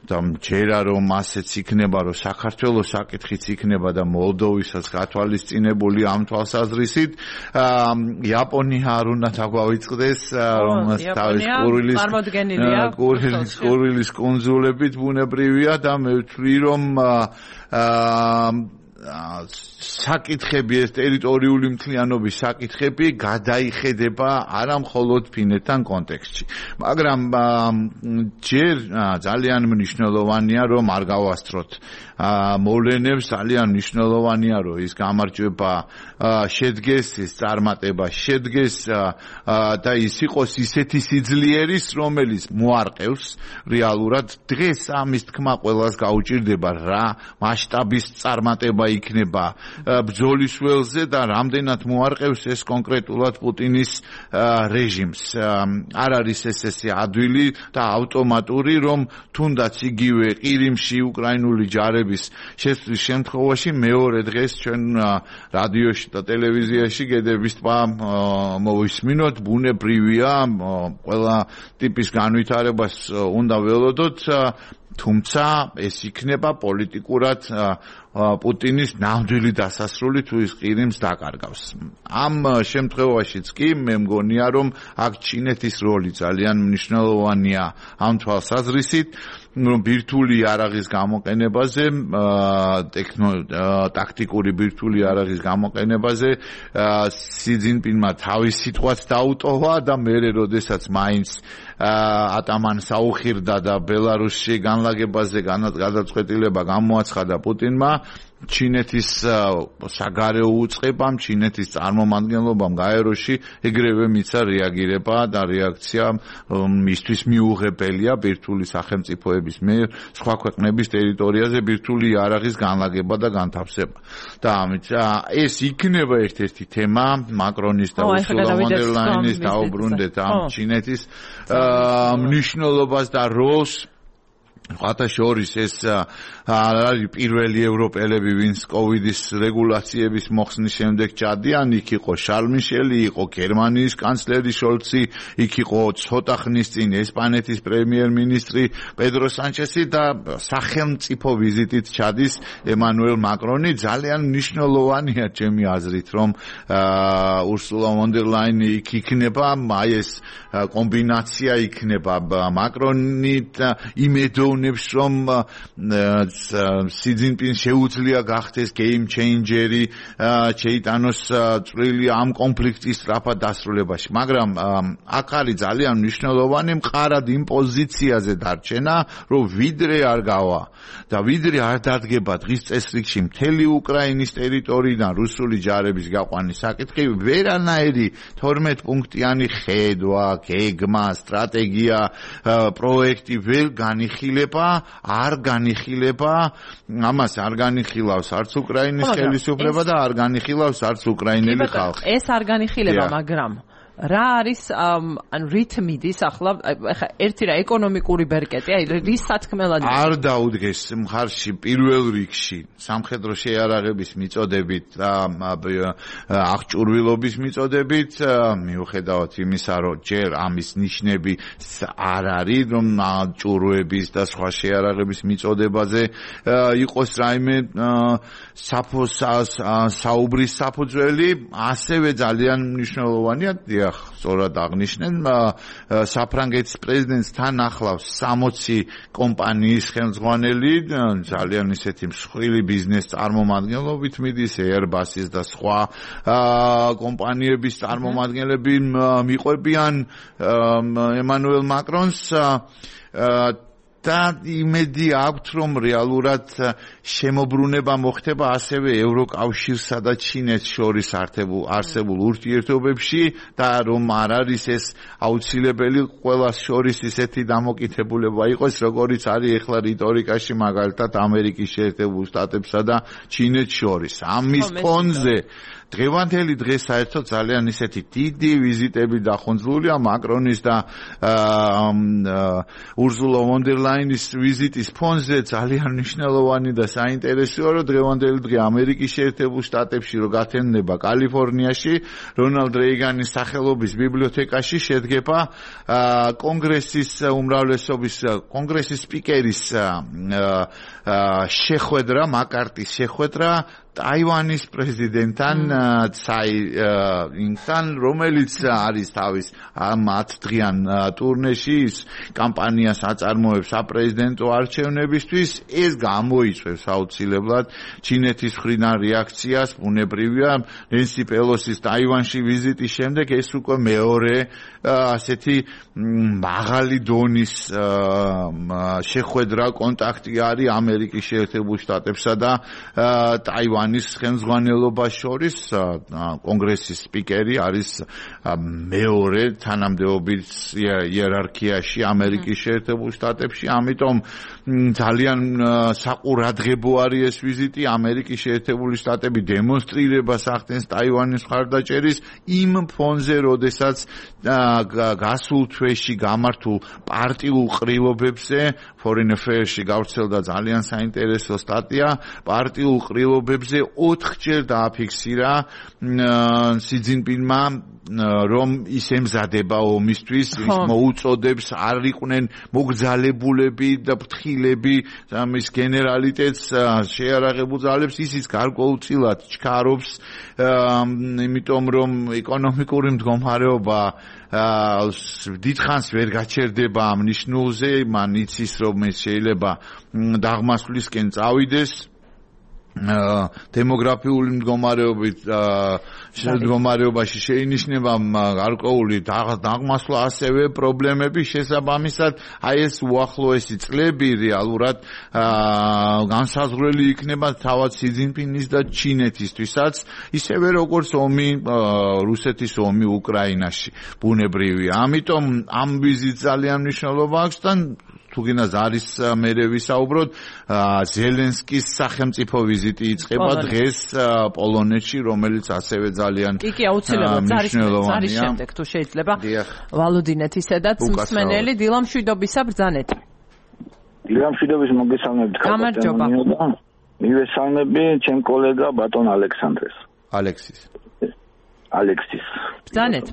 [SPEAKER 2] და მჯერა რომ ასეც იქნება, რომ საქართველოს საკითხიც იქნება და მოლდოვისაც გათვალისწინებული ამ თვალსაზრისით. იაპონია არ უნდა დაგვავიწყდეს, რომ თავის კურილის კურილის კუნძულებით ბუნებრივია და მე ვთვლი რომ საკითხები, ეს ტერიტორიული მთლიანობის საკითხები გადაიხედება არა მხოლოდ ფინეთთან კონტექსტში, მაგრამ ჯერ ძალიან მნიშვნელოვანია რომ არ გავასწროთ მოვლენებს, ძალიან მნიშვნელოვანია რომ ის გამარჯვება შედგეს, ის წარმატება შედგეს და ის იყოს ისეთი სიძლიერის, რომელიც მოარყევს რეალურად დღეს ამის თქმა ყველას გაუჭირდება რა მასშტაბის წარმატება იქნება ბრძოლის ველზე და რამდენად მოარყევს ეს კონკრეტულად პუტინის რეჟიმს. არ არის ეს ესე ადვილი და ავტომატური, რომ თუნდაც იგივე ყირიმში უკრაინული ჯარების შესვლის შემთხვევაში მეორე დღეს ჩვენ რადიოში და ტელევიზიაში გედების ტბა მოვისმინოთ, ბუნებრივია, ყველა ტიპის განვითარებას უნდა ველოდოთ, თუმცა ეს იქნება პოლიტიკურად პუტინის ნამდვილი დასასრული თუ ის ყირიმს დაკარგავს. ამ შემთხვევაშიც კი მე მგონია, რომ აქ ჩინეთის როლი ძალიან მნიშვნელოვანია ამ თვალსაზრისით, რომ ბირთვული იარაღის გამოყენებაზე, ტაქტიკური ბირთვული იარაღის გამოყენებაზე სი ძინპინმა თავის სიტყვაც დაუტოვა და მერე როდესაც მაინც ატამან საუხირდა და ბელარუსში განლაგებაზე გადაწყვეტილება გამოაცხადა პუტინმა, ჩინეთის საგარეო უწყებამ, ჩინეთის წარმომადგენლობამ გაეროში ეგრევე მიცა რეაგირება და რეაქცია მისთვის მიუღებელია ბირთვული სახელმწიფოების მიერ სხვა ქვეყნების ტერიტორიაზე ბირთვული იარაღის განლაგება და განთავსება. და ამით ეს იქნება ერთ-ერთი თემა მაკრონის და ურსულა ფონ დერ ლაინის დაუბრუნდეთ ამ ჩინეთის მნიშვნელობას და როლს. ხათა შორის ეს არის პირველი ევროპელები, ვინც კოვიდის რეგულაციების მოხსნის შემდეგ ჩადიან, იქ იყო შარლ მიშელი, იყო გერმანიის კანცლერი შოლცი, იქ იყო ცოტა ხნის წინ ესპანეთის პრემიერ-მინისტრი პედრო სანჩესი და სახელმწიფო ვიზიტით ჩადის ემანუელ მაკრონი. ძალიან მნიშვნელოვანია ჩემი აზრით, რომ ურსულა ფონ დერ ლაინი იქ იქნება, აი ეს კომბინაცია იქნება მაკრონი იმედოვნ რომ სი ძინპინს შეუძლია გახდეს game changer-ი, შეიტანოს წვლილი ამ კონფლიქტის სწრაფად დასრულებაში. მაგრამ აქ არის ძალიან მნიშვნელოვანი მყარად იმ პოზიციაზე დარჩენა, რომ ვიდრე არ გავა და ვიდრე არ დადგება დღის წესრიგში მთელი უკრაინის ტერიტორიიდან რუსული ჯარების გაყვანის საკითხი, ვერანაირი თორმეტ პუნქტიანი ხედვა, გეგმა, სტრატეგია, პროექტი ვერ განიხილება, არ განიხილება, ამას არ განიხილავს არც უკრაინის ხელისუფლება და არ განიხილავს არც უკრაინელი ხალხი.
[SPEAKER 1] ეს არ განიხილება, მაგრამ რა არის ან რითმიდის ახლა ეხა ერთი რა ეკონომიკური ბერკეტი, აი რის სათქმელად
[SPEAKER 2] არ დაუდგეს მხარში პირველ რიგში სამხედრო შეიარაღების მიწოდებით და აღჭურვილობის მიწოდებით, მიუხედავად იმისა, რომ ჯერ ამის ნიშნები არ არის, რომ ჭურვების და სხვა შეიარაღების მიწოდებაზე იყოს რაიმე საუბრის საფუძველი, ასევე ძალიან მნიშვნელოვანია სწორად აღნიშნენ, საფრანგეთის პრეზიდენტს თან ახლავს სამოცი კომპანიის ხელმძღვანელი, ძალიან ისეთი მსხვილი ბიზნეს წარმომადგენლობით მიდის, Airbus-ის და სხვა კომპანიების წარმომადგენლები მიყვებიან ემანუელ მაკრონს და იმედი აქვთ, რომ რეალურად შემოbrunება მოხდება ასევე ევროკავშირსა და ჩინეთს შორის არსებულ ურთიერთობებში და რომ არ არის ეს აუცილებელი ყველას შორის ისეთი დამოკიდებულება იყოს, როგორიც არის ახლა რიტორიკაში მაგალითად ამერიკის შეერთებულ შტატებსა და ჩინეთს შორის. ამის ფონზე დღევანდელი დღე საერთოდ ძალიან ისეთი დიდი ვიზიტები დახონძლულია მაკრონის და ურსულა ფონ დერ ლაინის ვიზიტის ფონზე ძალიან მნიშვნელოვანი და საინტერესოა, რომ დღევანდელი დღე ამერიკის შეერთებულ შტატებში რო გათენდება კალიფორნიაში, რონალდ რეიგანის სახელობის ბიბლიოთეკაში შედგება კონგრესის უმრავლესობის კონგრესის სპიკერის შეხვედრა, მაკარტის შეხვედრა ტაივანის პრეზიდენტთან ცაი ინგთან, რომელიც არის თავის ამ ათდღიან ტურნეში, ის კამპანიას აწარმოებს საპრეზიდენტო არჩევნებისთვის. ეს გამოიწვევს აუცილებლად ჩინეთის მხრიდან რეაქციას, ბუნებრივია, ნენსი პელოსის ტაივანში ვიზიტის შემდეგ ეს უკვე მეორე ასეთი მაღალი დონის შეხვედრა, კონტაქტი არის ამერიკის შეერთებულ შტატებსა და ტაივანის ტაივანის ხელმძღვანელობას შორის კონგრესის სპიკერი არის მეორე თანამდებობის იერარქიაში ამერიკის შეერთებულ შტატებში, ამიტომ ძალიან საყურადღებო არის ეს ვიზიტი. ამერიკის შეერთებული შტატები დემონსტრირებას ახდენს ტაივანის მხარდაჭერის იმ ფონზე, როდესაც გასულ თვეში გამართულ პარტიულ ყრილობებზე Foreign Affairs-ში გავრცელდა ძალიან საინტერესო სტატია. პარტიულ ყრილობებზე ოთხჯერ დააფიქსირა სი ძინპინმა, რომ ის ემზადება ომისთვის, ის მოუწოდებს არ იყვნენ მოგზალებულები და ფრთხილები, ამის გენერალიტეტს შეარაღებულ ძალებს, ისიც გარკვეულწილად ჩქარობს, იმიტომ რომ ეკონომიკური მდგომარეობა დიდხანს ვერ გაჩერდება ამ ნიშნულზე, მან იცის რომ ეს შეიძლება დაღმასვლისკენ წავიდეს. დემოგრაფიული მდგომარეობით მდგომარეობაში შეინიშნება გარკვეული დაღმასვლა, ასევე პრობლემები შესაბამისად აი ეს უახლოესი წლები რეალურად განსაზღვრელი იქნება თავად სი ძინპინის და ჩინეთისთვისაც, ისევე როგორც ომი რუსეთის ომი უკრაინაში ბუნებრივია. ამიტომ ამ ვიზიტს ძალიან მნიშვნელობა აქვს და თუ გინდათ არის მერე ვისაუბროთ, ზელენსკის სახელმწიფო ვიზიტი იწყება დღეს პოლონეთში, რომელიც ასევე ძალიან
[SPEAKER 1] კი კი აუცილებლად ზარის შემდეგ თუ შეიძლება ვალოდინეთისედაც მსმენელი დილა მშვიდობისა ბრძანეთ.
[SPEAKER 5] დილა მშვიდობის მოგესალმებით
[SPEAKER 1] გამარჯობა.
[SPEAKER 5] მივესალმები ჩემ კოლეგა ბატონ ალექსანდრეს.
[SPEAKER 2] ალექსის.
[SPEAKER 5] ალექსის.
[SPEAKER 1] ბრძანეთ.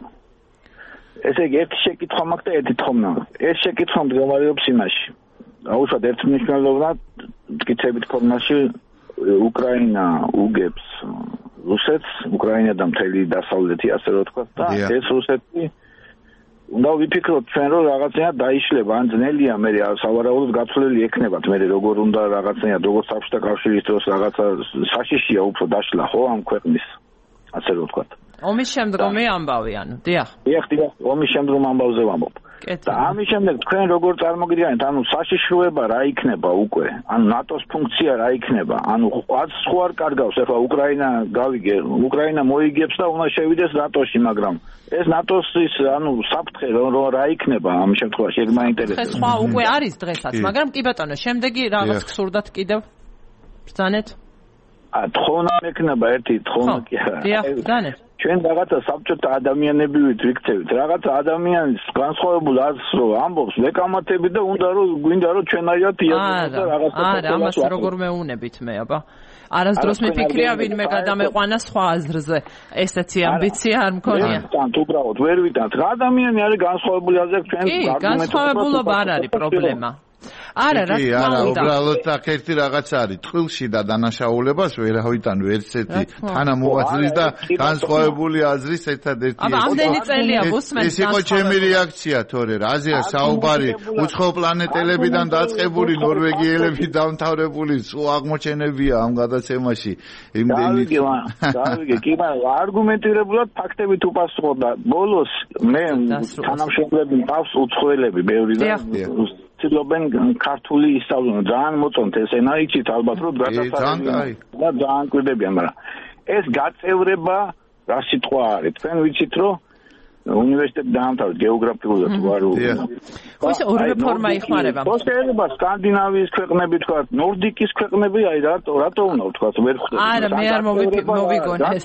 [SPEAKER 5] ესე იგი ერთი შეკითხვა მაქვს და ერთი თხოვნა. ეს შეკითხვა მდგომარეობს იმაში. აუშვათ ერთმნიშვნელოვნად მტკიცებით ფორმაში უკრაინა უგებს რუსეთს, უკრაინა და მთელი დასავლეთი ასე რომ ვთქვათ და ეს რუსეთი უნდა ვიფიქროთ ჩვენ რომ რაღაცნაირად დაიშლება, ან ძნელია მე სავარაუდოდ გაცვლილი ექნებათ მე როგორ უნდა რაღაცნაირად როგორც საბჭოთა კავშირის დროს რაღაცა საშიშია უფრო დაშლა ხო ამ ქვეყნის ასე რომ ვთქვათ.
[SPEAKER 1] ომის შემდგომი ამბავი, ანუ, დიახ.
[SPEAKER 5] დიახ, დიახ, ომის შემდგომ ამბავზე ვამბობ. და ამის შემდეგ თქვენ როგორ წარმოგიდგენთ, ანუ საშიშროება რა იქნება უკვე? ანუ ნატოს ფუნქცია რა იქნება? ანუ ყავს სხვა არ კარგავს, ახლა უკრაინა გავიგე, უკრაინა მოიგებს და უნდა შევიდეს ნატოში, მაგრამ ეს ნატოს ის, ანუ საფრთხე რა იქნება ამ შემთხვევაში, ეგ მაინტერესებს.
[SPEAKER 1] სხვა უკვე არის დღესაც, მაგრამ კი ბატონო, შემდეგი რაღაც გსურდათ კიდევ? ბრძანეთ?
[SPEAKER 5] ა თხოვნა მექნება ერთი თხოვნა კი არა.
[SPEAKER 1] დიახ, ბრძანეთ.
[SPEAKER 5] ჩვენ რაღაცა საბჭოთა ადამიანები ვიქცევით, რაღაცა ადამიანის განსხვავებულ აზრს რო ამბობს, ვეკამათებით და უნდა რომ გვინდა რომ ჩვენაირად იაზროთ და რაღაცა
[SPEAKER 1] არა, ამას როგორ მეუნებით მე, აბა. არასდროს მიფიქრია ვინმე გადამეყვანა სხვა აზრზე. ესეთი ამბიცია არ მქონია.
[SPEAKER 5] თან უბრალოდ ვერ ვიტანთ. ადამიანი არის განსხვავებული აზრები ჩვენ
[SPEAKER 1] კი, განსხვავებულობა არ არის პრობლემა. არა, რა თქმა
[SPEAKER 2] არა,
[SPEAKER 1] უნდა.
[SPEAKER 2] უბრალოდ აქ ერთი რაღაც არის, ტყილში და დანაშაულებას ვერავითან ვერცეთი თანამოაზრის და განსხვავებული აზრის ერთადერთი.
[SPEAKER 1] აბა, ამდენი წელია ვუსმენთ.
[SPEAKER 2] ეს იყო ჩემი რეაქცია, თორე რაზეა საუბარი, უცხო პლანეტელებიდან დაწყებული ნორვეგიელები დამთავრებული სულ აღმოჩენებია ამ გადაცემაში. იმდენი.
[SPEAKER 5] გავიგე, კი, მაგრამ არგუმენტირებულად ფაქტებით უპასუხო და ბოლოს მე თანამშრომლები მყავს უცხოელები, ბევრი და ცდილობენ ქართული ისწავლონ, ძალიან მოწონთ ეს ენა, იცით ალბათ რომ გადასარევი და ძალიან კვირდებიან, მაგრამ ეს გაწევრება რა სიტყვა არის? თქვენ ვიცით რომ უნივერსიტეტი დაამთავრეთ გეოგრაფიულად თუ არ
[SPEAKER 1] ხო ეს ორი რეფორმა იხმარება.
[SPEAKER 5] ხო შეიძლება სკანდინავიის ქვეყნები თქვა, ნორდიკის ქვეყნები, აი რატო რატო უნდა ვთქვა ვერ ხვდები.
[SPEAKER 1] არა, მე არ მოვიგონე ეს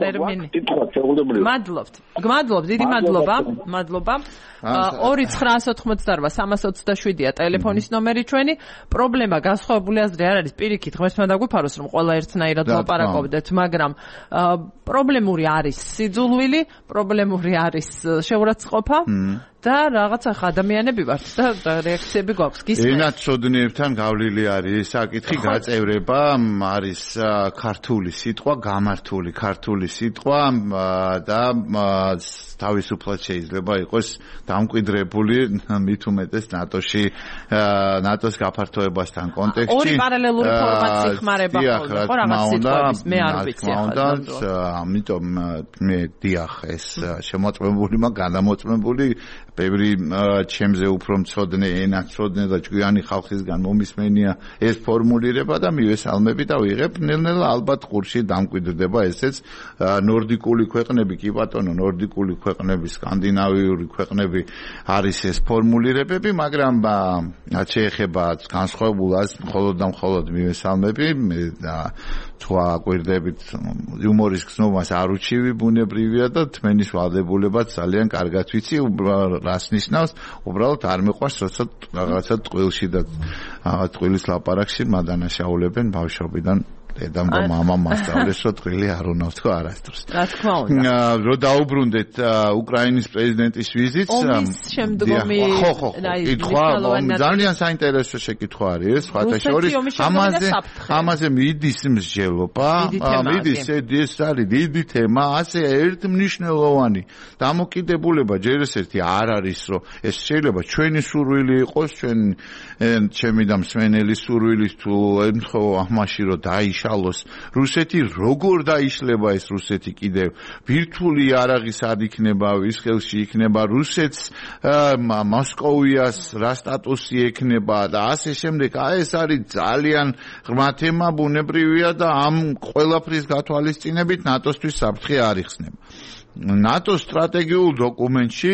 [SPEAKER 1] ტერმინი. მადლობთ. გმადლობ, დიდი მადლობა, მადლობა. ორი ცხრაას ოთხმოცდაორვა სამას ოცდაშვიდია ტელეფონის ნომერი ჩვენი. პრობლემა განსხვავებული აზრი არ არის, პირიქით, ღმერთმა დაგვიფაროს რომ ყველა ერთნაირად ლაპარაკობდეთ, მაგრამ პრობლემური არის სიძულვილი, პრობლემური არის შეურაცხყოფა და რაღაცა ადამიანები ვართ და რეაქციები გვაქვს. გისმენთ.
[SPEAKER 2] ენად ცოდნიებთან გავლილი არის საკითხი გაწევრება, არის ქართული სიტყვა, გამართული ქართული სიტყვა და თავისუფლად შეიძლება იყოს დამკვიდრებული მით უმეტეს ნატოში, ნატოს გაფართოებასთან კონტექსტში.
[SPEAKER 1] ორი პარალელური ფორმატი ხმარება ხოლმე, ხო რაღაც სიტყვების, მე არ ვიცი ახლა.
[SPEAKER 2] ამიტომ მე დიახ ეს შემოწმებული, მაგრამ გადამოწმებული ბევრი ჩემზე უფრო მცოდნე ენა მცოდნე და ჭკვიანი ხალხისგან მომისმენია ეს ფორმულირება და მივესალმები და ვიღებ ნელ-ნელა ალბათ ყურში დამკვიდრდება ესეც ნორდიკული ქვეყნები კი ბატონო ნორდიკული ქვეყნები სკანდინავიური ქვეყნები არის ეს ფორმულირებები მაგრამ შეეხება განსხვავებულას მხოლოდ და მხოლოდ მივესალმები და თქვა კვირდებით იუმორის გზნობას არ უჩივი ბუნებრივია და თმენის ვალდებულებაც ძალიან კარგად ვიცი რას ნიშნავს უბრალოდ არ მეყვარს როცა რაღაცა ტყილში და ტყილის ლაპარაკში მადანაშაულებენ ბავშვობიდან დედამ და მამამ მასწავლეს რომ ტყილი არ უნდა თქვა არასდროს
[SPEAKER 1] რა თქმა უნდა
[SPEAKER 2] რო დაუბრუნდეთ უკრაინის პრეზიდენტის ვიზიტს
[SPEAKER 1] ომის შემდგომი
[SPEAKER 2] ხო ხო კითხვა ძალიან საინტერესო შეკითხვა არის სხვათა შორის ამაზე ამაზე მიდის მსჯელობა მიდის ეს არის დიდი თემა ასე ერთმნიშვნელოვანი დამოკიდებულება ჯერ ესეთი არ არის რომ ეს შეიძლება ჩვენი სურვილი იყოს ჩვენ ჩემი და მსმენელი სურვილის თუ ემთხოვა ამაში რომ დაიშ რუსეთი როგორ დაიშლება ეს რუსეთი კიდევ ვირტუალი იარაღის ad იქნება ვის ხელში იქნება რუსეთს მოსკოვიას რა სტატუსი ექნება და ასე შემდეგ აი ეს არის ძალიან ღრმა თემა ბუნებრივია და ამ ყველაფრის გათვალისწინებით ნატოსთვის საფრთხე არ იხსნება ნატოს სტრატეგიულ დოკუმენტში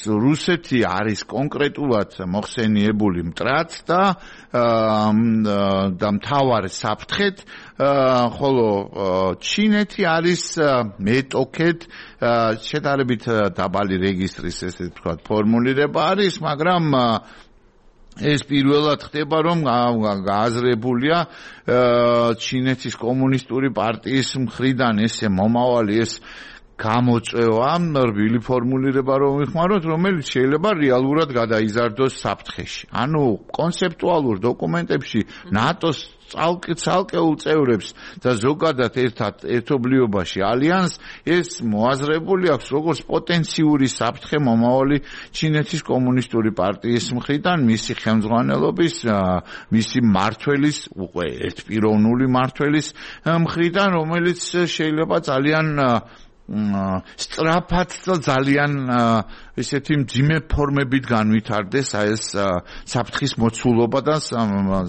[SPEAKER 2] რუსეთი არის კონკრეტულად მოხსენიებული მტრად და და მთავარ საფრთხედ ხოლო ჩინეთი არის მეტოქედ შედარებით დაბალი რეგისტრის ესე ვთქვათ ფორმულირება არის მაგრამ ეს პირველად ხდება რომ გააზრებულია ჩინეთის კომუნისტური პარტიის მხრიდან ესე მომავალი ეს გამოწვევა რბილი ფორმულირება რომ ვიხმაროთ რომელიც შეიძლება რეალურად გადაიზარდოს საფრთხეში ანუ კონცეპტუალურ დოკუმენტებში ნატოს ცალკეულ წევრებს და ზოგადად ერთად ერთობლიობაში ალიანს ეს მოაზრებული აქვს როგორც პოტენციური საფრთხე მომავალი ჩინეთის კომუნისტური პარტიის მხრიდან მისი ხელმძღვანელობის მისი მმართველის უკვე ერთპიროვნული მმართველის მხრიდან რომელიც შეიძლება ძალიან სწრაფად და ძალიან ესეთი მძიმე ფორმებით განვითარდეს აი ეს საფრთხის მოცულობა და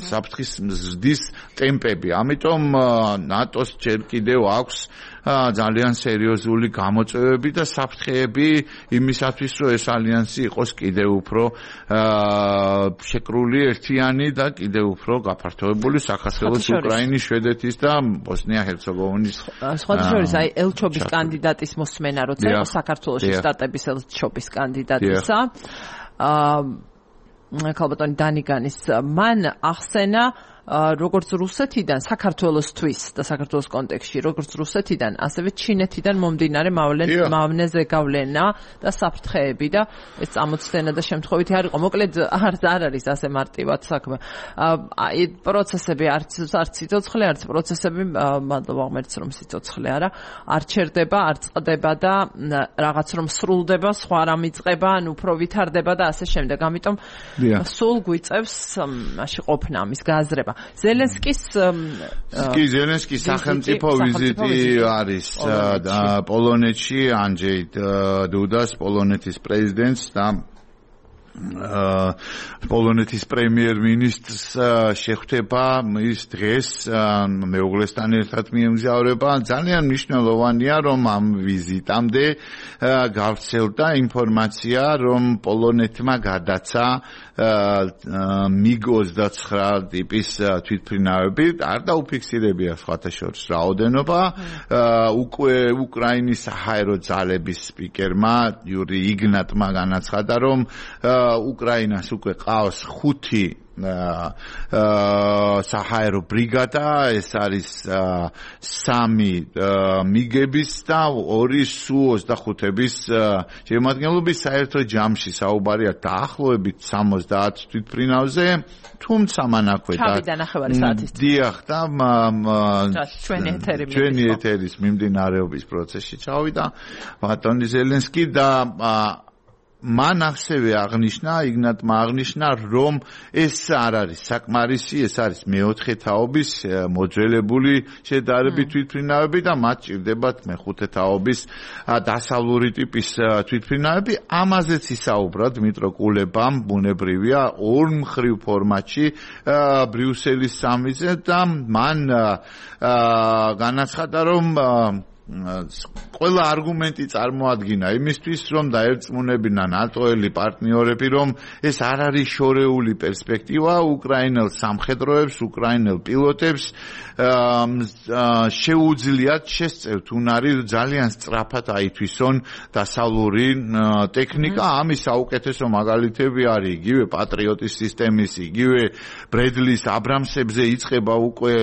[SPEAKER 2] საფრთხის ზრდის ტემპები. ამიტომ ნატოს ჯერ კიდევ აქვს ძალიან სერიოზული გამოწვევები და საფრთხეები იმისათვის რომ ეს ალიანსი იყოს კიდევ უფრო შეკრული ერთიანი და კიდევ უფრო გაფართოებული საქართველოს უკრაინის შვედეთის და ბოსნია-ჰერცეგოვინის
[SPEAKER 1] სხვათა შორის აი ელჩობის კანდიდატის მოსმენა როცა იყო საქართველოში სტატების ელჩობის კანდიდატისა აა ქალბატონი დანიგანის მან ახსენა როგორც რუსეთიდან საქართველოსთვის და საქართველოს კონტექსტში როგორც რუსეთიდან ასევე ჩინეთიდან მომდინარე მავნეზე გავლენა და საფრთხეები და ეს წამოწდენა და შემთხვევითი არ იყო მოკლედ არც არ არის ასე მარტივად საქმე აი პროცესები არც არც სიცოცხლე არც პროცესები მადლობა ღმერთს რომ სიცოცხლე არა არ ჩერდება არ წყდება და რაღაც რომ სრულდება სხვა რამ იწყება ან უფრო ვითარდება და ასე შემდეგ ამიტომ სულ გვიწევს მაშინ ყოფნა ამის გააზრება ზელენსკის
[SPEAKER 2] კი ზელენსკის სახელმწიფო ვიზიტი არის პოლონეთში ანჯეი დუდას პოლონეთის პრეზიდენტს და პოლონეთის პრემიერ-მინისტრს შეხვდება ის დღეს მეუღლესთან ერთად მიემგზავრება ძალიან მნიშვნელოვანია რომ ამ ვიზიტამდე გავრცელდა ინფორმაცია რომ პოლონეთმა გადაცა მიგ ოცდაცხრა ტიპის თვითმფრინავები არ დაუფიქსირებია სხვათა შორის რაოდენობა უკვე უკრაინის საჰაერო ძალების სპიკერმა იური იგნატმა განაცხადა რომ უკრაინას უკვე ყავს ხუთი საჰაერო ბრიგადა ეს არის სამი მიგების და ორი სუ ოცდახუთების შემადგენლობის საერთო ჯამში საუბარია დაახლოებით სამოცდაათ თვითმფრინავზე თუმცა მანაქვე დიახ და ჩვენი ეთერის მიმდინარეობის პროცესში ჩავიდა ბატონი ზელენსკი და მან ასევე აღნიშნა, იგნატმა აღნიშნა, რომ ეს არ არის საკმარისი, ეს არის მეოთხე თაობის მოძველებული შედარებით თვითმფრინავები და მათ ჭირდებათ მეხუთე თაობის დასავლური ტიპის თვითმფრინავები. ამაზეც ისაუბრა დმიტრო კულებამ, ბუნებრივია, ორმხრივ ფორმატში ბრიუსელის სამიტზე და მან განაცხადა, რომ ყველა არგუმენტი წარმოადგინა იმისთვის, რომ დაერწმუნებინა ნატოელი პარტნიორები, რომ ეს არ არის შორეული პერსპექტივა უკრაინელ სამხედროებს, უკრაინელ პილოტებს შეუძლიათ შესწევთ უნარი ძალიან სწრაფად აითვისონ დასავლური ტექნიკა. ამის საუკეთესო მაგალითები არის იგივე პატრიოტის სისტემის, იგივე ბრედლის აბრამსებზე იწყება უკვე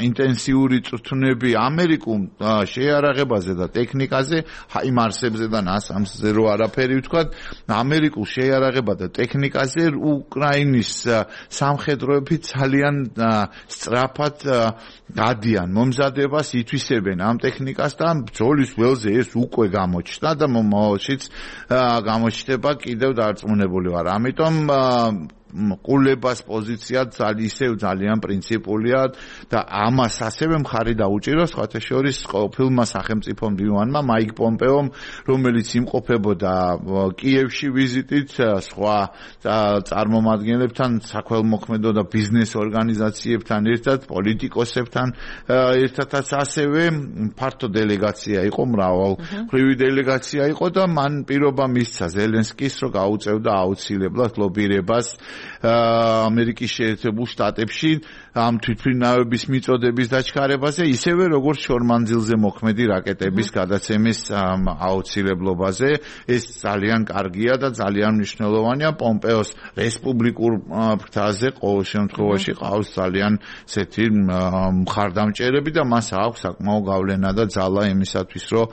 [SPEAKER 2] ინტენსიური წვრთნები ამერიკულ შეიარაღებაზე და ტექნიკაზე, ჰაიმარსებზე და ნასამსზე რო არაფერი ვთქვათ, ამერიკულ შეიარაღება და ტექნიკაზე უკრაინის სამხედროები ძალიან სწრაფად გადიან მომზადებას, ითვისებენ ამ ტექნიკას და ბრძოლის ველზე ეს უკვე გამოჩნდა და მომავალშიც გამოჩნდება, კიდევ დარწმუნებული ვარ. ამიტომ კულებას პოზიცია ისევ ძალიან პრინციპულია და ამას ასევე მხარი დაუჭიროს სხვათა შორის ყოფილმა სახელმწიფო მდივანმა მაიკ პომპეომ, რომელიც იმყოფებოდა კიევში ვიზიტით სხვა წარმომადგენლებთან, საქველმოქმედო და ბიზნეს ორგანიზაციებთან ერთად, პოლიტიკოსებთან ერთადაც ასევე ფართო დელეგაცია იყო, მრავალმხრივი დელეგაცია იყო და მან პირობა მისცა ზელენსკის, რომ გაუწევდა აუცილებლად ლობირებას ამერიკის შეერთებულ შტატებში ამ თვითმფრინავების მიწოდების დაჩქარებაზე, ისევე როგორც შორმანძილზე მოქმედი რაკეტების გადაცემის აუცილებლობაზე. ეს ძალიან კარგია და ძალიან მნიშვნელოვანია. პომპეოს რესპუბლიკურ ფრთაზე ყოველ შემთხვევაში ყავს ძალიან ესეთი მხარდამჭერები და მას აქვს საკმაო გავლენა და ძალა იმისათვის, რომ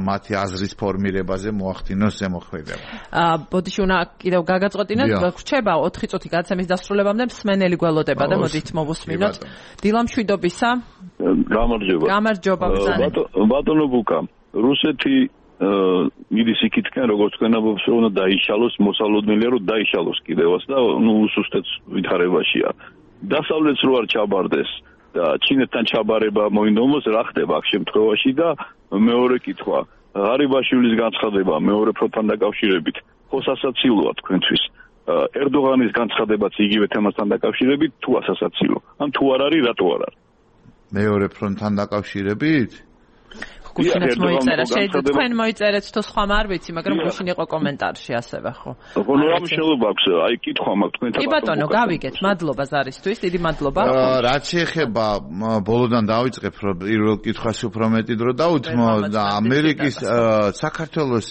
[SPEAKER 2] მათი აზრის ფორმირებაზე მოახდინოს ზემოქმედება.
[SPEAKER 1] ბოდიში უნდა კიდევ გაგაწყვეტინოთ, რჩება ოთხი წუთი გადაცემის დასრულებამდე მსმენელი გველოდება და მოდით მოვუსმინოთ. დილა მშვიდობისა.
[SPEAKER 5] გამარჯობა.
[SPEAKER 1] გამარჯობა ბრძანე.
[SPEAKER 5] ბატონო ბუკა, რუსეთი მიდის იქითკენ, როგორც თქვენ ამბობს, რომ უნდა დაიშალოს, მოსალოდნელია, რომ დაიშალოს კიდევაც და ნუ უსუსტეთ ვითარებაშია. დასავლეთს რო არ ჩაბარდეს და ჩინეთთან ჩაბარება მოინდომოს, რა ხდება აქ შემთხვევაში და მეორე კითხვა, ღარიბაშვილის განცხადება მეორე ფრონტთან დაკავშირებით, ხო სასაცილოა თქვენთვის? ერდოღანის განცხადებაც იგივე თემასთან დაკავშირებით თუ ასასაცილო? ან თუ არ არის, რატო არ არის?
[SPEAKER 2] მეორე ფრონტთან დაკავშირებით?
[SPEAKER 1] გუშინაც მოიწერა, შეიძლება თქვენ მოიწერეთ თუ სხვა არ ვიცი, მაგრამ გუშინ იყო კომენტარში ასევე, ხო?
[SPEAKER 5] ხო, ნუ ამ შეიძლება აქვს, აი კითხვა მაქვს თქვენთან.
[SPEAKER 1] კი ბატონო, გავიგეთ, მადლობა ზარისთვის, დიდი მადლობა.
[SPEAKER 2] რაც შეეხება ბოლოდან დავიწყებ, რომ პირველ კითხვას უფრო მეტი დრო დაუთმო და ამერიკის საქართველოს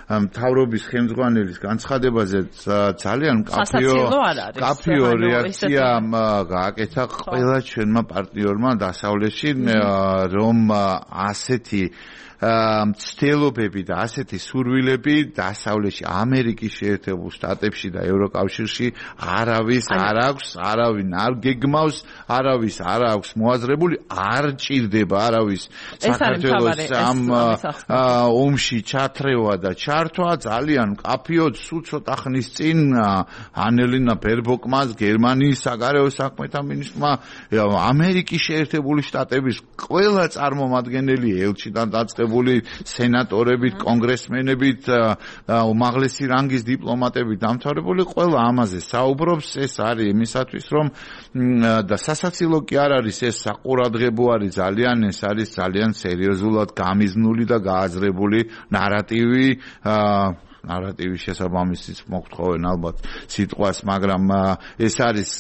[SPEAKER 2] მთავრობის ხელმძღვანელის განცხადებაზე ძალიან კაფიო კაფიო რეაქცია გააკეთა ყველა ჩვენმა პარტნიორმა დასავლეთში, რომ ასეთ მცდელობები და ასეთი სურვილები დასავლეთში, ამერიკის შეერთებულ შტატებში და ევროკავშირში არავის არ აქვს, არავინ არ გეგმავს, არავის არ აქვს მოაზრებული, არ ჭირდება არავის საქართველოს ამ ომში ჩათრევა და ჩართვა. ძალიან კაფიოდ სულ ცოტა ხნის წინ ანელინა ბერბოკმა, გერმანიის საგარეო საქმეთა მინისტრმა, ამერიკის შეერთებული შტატების ყველა წარმომადგენელი ელჩიდან დაწყებული სენატორებით, კონგრესმენებით, უმაღლესი რანგის დიპლომატებით დამთავრებული, ყველა ამაზე საუბრობს. ეს არის იმისათვის, რომ და სასაცილო კი არ არის, ეს საყურადღებო არის ძალიან, ეს არის ძალიან სერიოზულად გამიზნული და გააზრებული ნარატივი, ნარატივის შესაბამისიც მოგთხოვენ ალბათ სიტყვას, მაგრამ ეს არის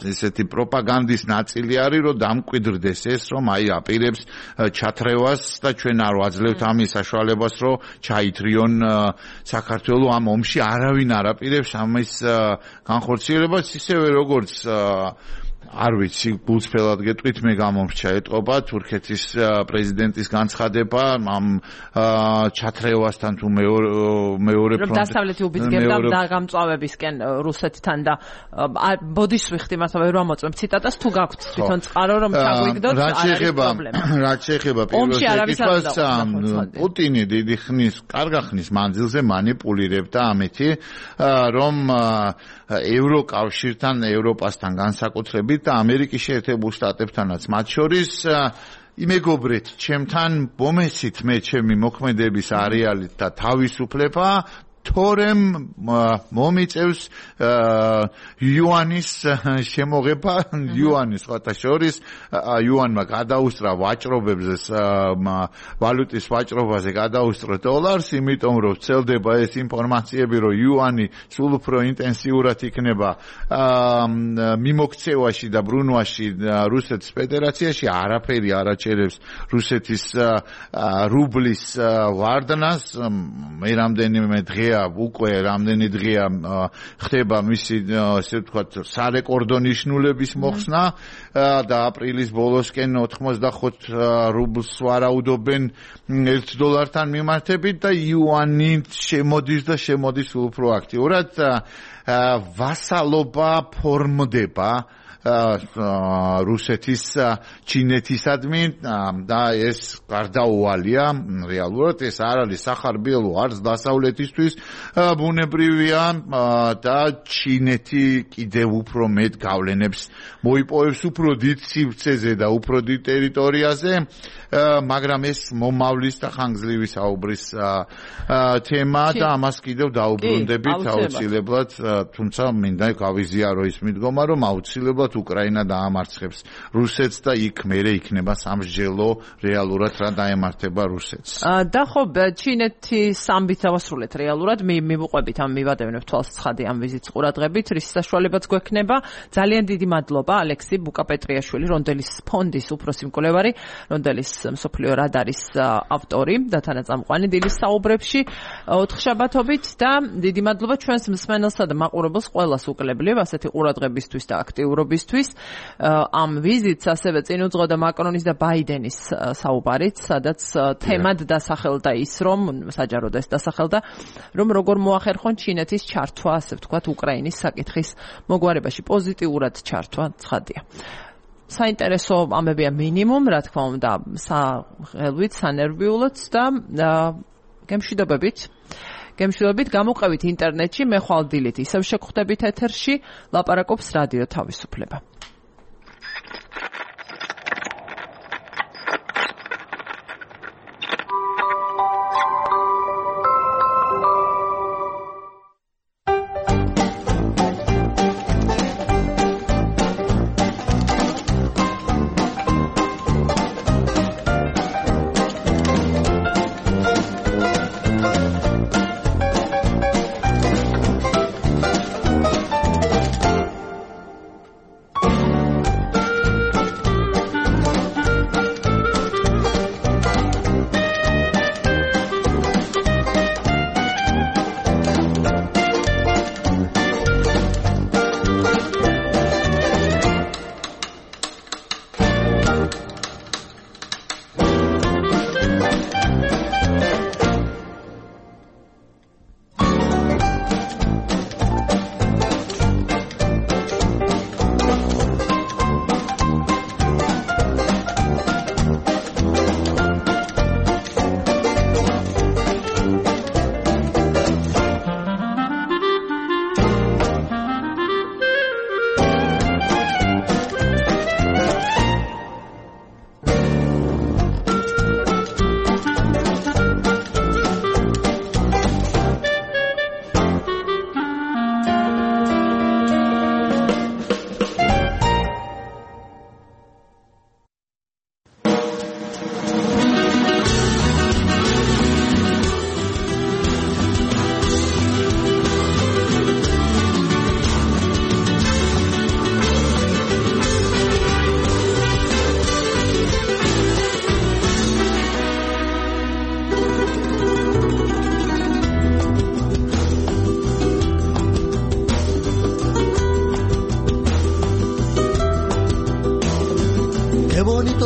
[SPEAKER 2] ესეთი პროპაგანდის ნაწილი არის, რომ დამკვიდრდეს ეს, რომ აი აპირებს ჩათრევას და ჩვენ არ ვაძლევთ ამის საშუალებას, რომ ჩაითრიონ საქართველოს ამ ომში. არავინ არ აპირებს ამის განხორციელებას, ისევე როგორც არ ვიცი, გულწრფელად გეტყვით, მე გამომრჩა ეტყობა თურქეთის პრეზიდენტის განცხადება ამ ჩათრევასთან თუ მეორე
[SPEAKER 1] ფრონტი. რომ დასავლეთი უბიძგებდა დაგამწვავებისკენ რუსეთთან და ბოდის ვიხდი მართლა ვერ ვამოწმებ ციტატას თუ გაქვთ თვითონ წყარო რომ ჩაგვიგდოთ არ არის პრობლემა.
[SPEAKER 2] რაც შეეხება პირველ შეკითხვას, პუტინი დიდი ხნის, კარგა ხნის მანძილზე манипуლირებდა ამეთი, რომ ევროკავშირთან, ევროპასთან განსაკუთრებით და ამერიკის შეერთებულ შტატებთანაც მათ შორის იმეგობრეთ, ჩემთან მომეცით მე ჩემი მოქმედების არეალით და თავისუფლება თორემ მომიწევს იუანის შემოღება, იუანის ხოთა შორის იუანმა გადაუსწრა ვაჭრობებზე ვალუტის ვაჭრობაზე გადაუსწრო დოლარს, იმიტომ რომ ვრცელდება ეს ინფორმაციები, რომ იუანი სულ უფრო ინტენსიურად იქნება მიმოქცევაში და ბრუნვაში რუსეთის ფედერაციაში, არაფერი არ აჩერებს რუსეთის რუბლის ვარდნას. მე რამდენიმე დღე უკვე რამდენი დღეა ხდება მისი ესე ვთქვათ სარეკორდო ნიშნულების მოხსნა და აპრილის ბოლოსკენ ოთხმოცდახოც რუბლს ვარაუდობენ ერთ დოლართან მიმართებით და იუანი შემოდის და შემოდის უფრო აქტიურად. ვასალობა ფორმდება რუსეთის ჩინეთისადმი და ეს გარდაუვალია რეალურად ეს არ არის სახარბიელო არც დასავლეთისთვის ბუნებრივია და ჩინეთი კიდევ უფრო მეტ გავლენებს მოიპოვებს უფრო დიდ სივრცეზე და უფრო დიდ ტერიტორიაზე, მაგრამ ეს მომავლის და ხანგრძლივი საუბრის თემა და ამას კიდევ დაუბრუნდებით აუცილებლად, თუმცა მინდა გავიზიარო ის მიდგომა, რომ აუცილებლად უკრაინა დაამარცხებს რუსეთს და იქ მერე იქნება სამსჯელო რეალურად რა დაემართება რუსეთს.
[SPEAKER 1] და ხო ჩინეთის ამბით დავასრულეთ რეალურად, მივუყვებით ამ მივადევნებ თვალს ცხადი ამ ვიზიტს ყურადღებით, რის საშუალებაც გვექნება. ძალიან დიდი მადლობა ალექსი ბუკაპეტრიაშვილი, რონდელის ფონდის უფროსი მკვლევარი, რონდელის მსოფლიო რადარის ავტორი და თანაწამყვანი დილის საუბრებში ოთხშაბათობით და დიდი მადლობა ჩვენს მსმენელსა და მაყურებელს ყველას უკლებლივ ასეთი ყურადღებისთვის და აქტიურობის ამ ვიზიტს ასევე წინ უძღოდა მაკრონის და ბაიდენის საუბარით, სადაც თემად დასახელდა ის, რომ საჯაროდ ეს დასახელდა, რომ როგორ მოახერხონ ჩინეთის ჩართვა, ასე ვთქვათ, უკრაინის საკითხის მოგვარებაში, პოზიტიურად ჩართვა ცხადია. საინტერესო ამებია მინიმუმ, რა თქმა უნდა, სახელვით, სანერვიულოც და გემშვიდობებით. გემშვიდობით გამოყევით ინტერნეტში, მე ხვალ დილით ისევ შეგხვდებით ეთერში, ლაპარაკობს რადიო თავისუფლება.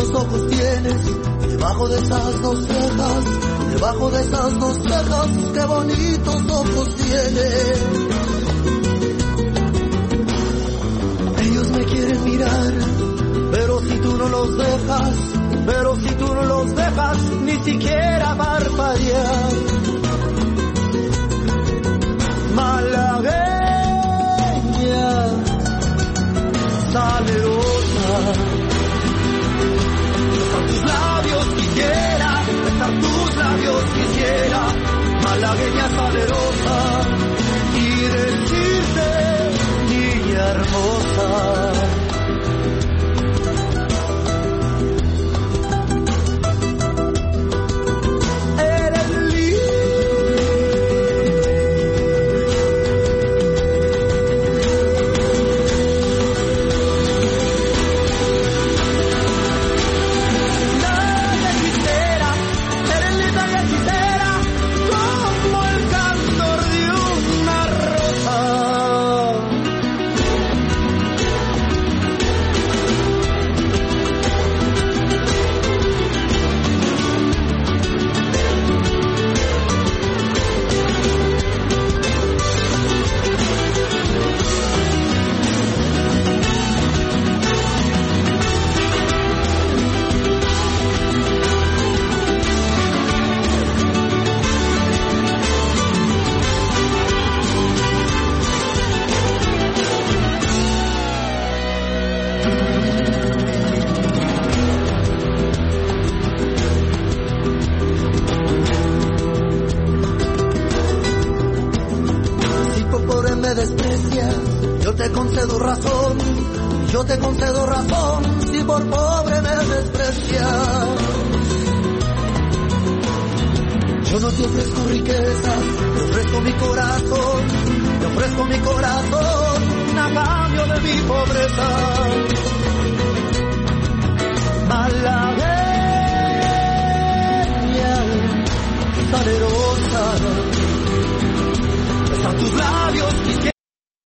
[SPEAKER 6] bonitos ojos tienes, debajo de esas dos cejas, debajo de esas dos cejas, qué bonitos ojos tienes. Ellos me quieren mirar, pero si tú no los dejas, pero si tú no los dejas, ni siquiera parpadear. Malagueña, salerosa, besar tus labios quisiera, besar tus labios quisiera, malagueña salerosa, y decirte, niña hermosa. Yo te concedo razón, si por pobre me desprecias. Yo no te ofrezco riquezas, te ofrezco mi corazón, te ofrezco mi corazón a cambio de mi pobreza.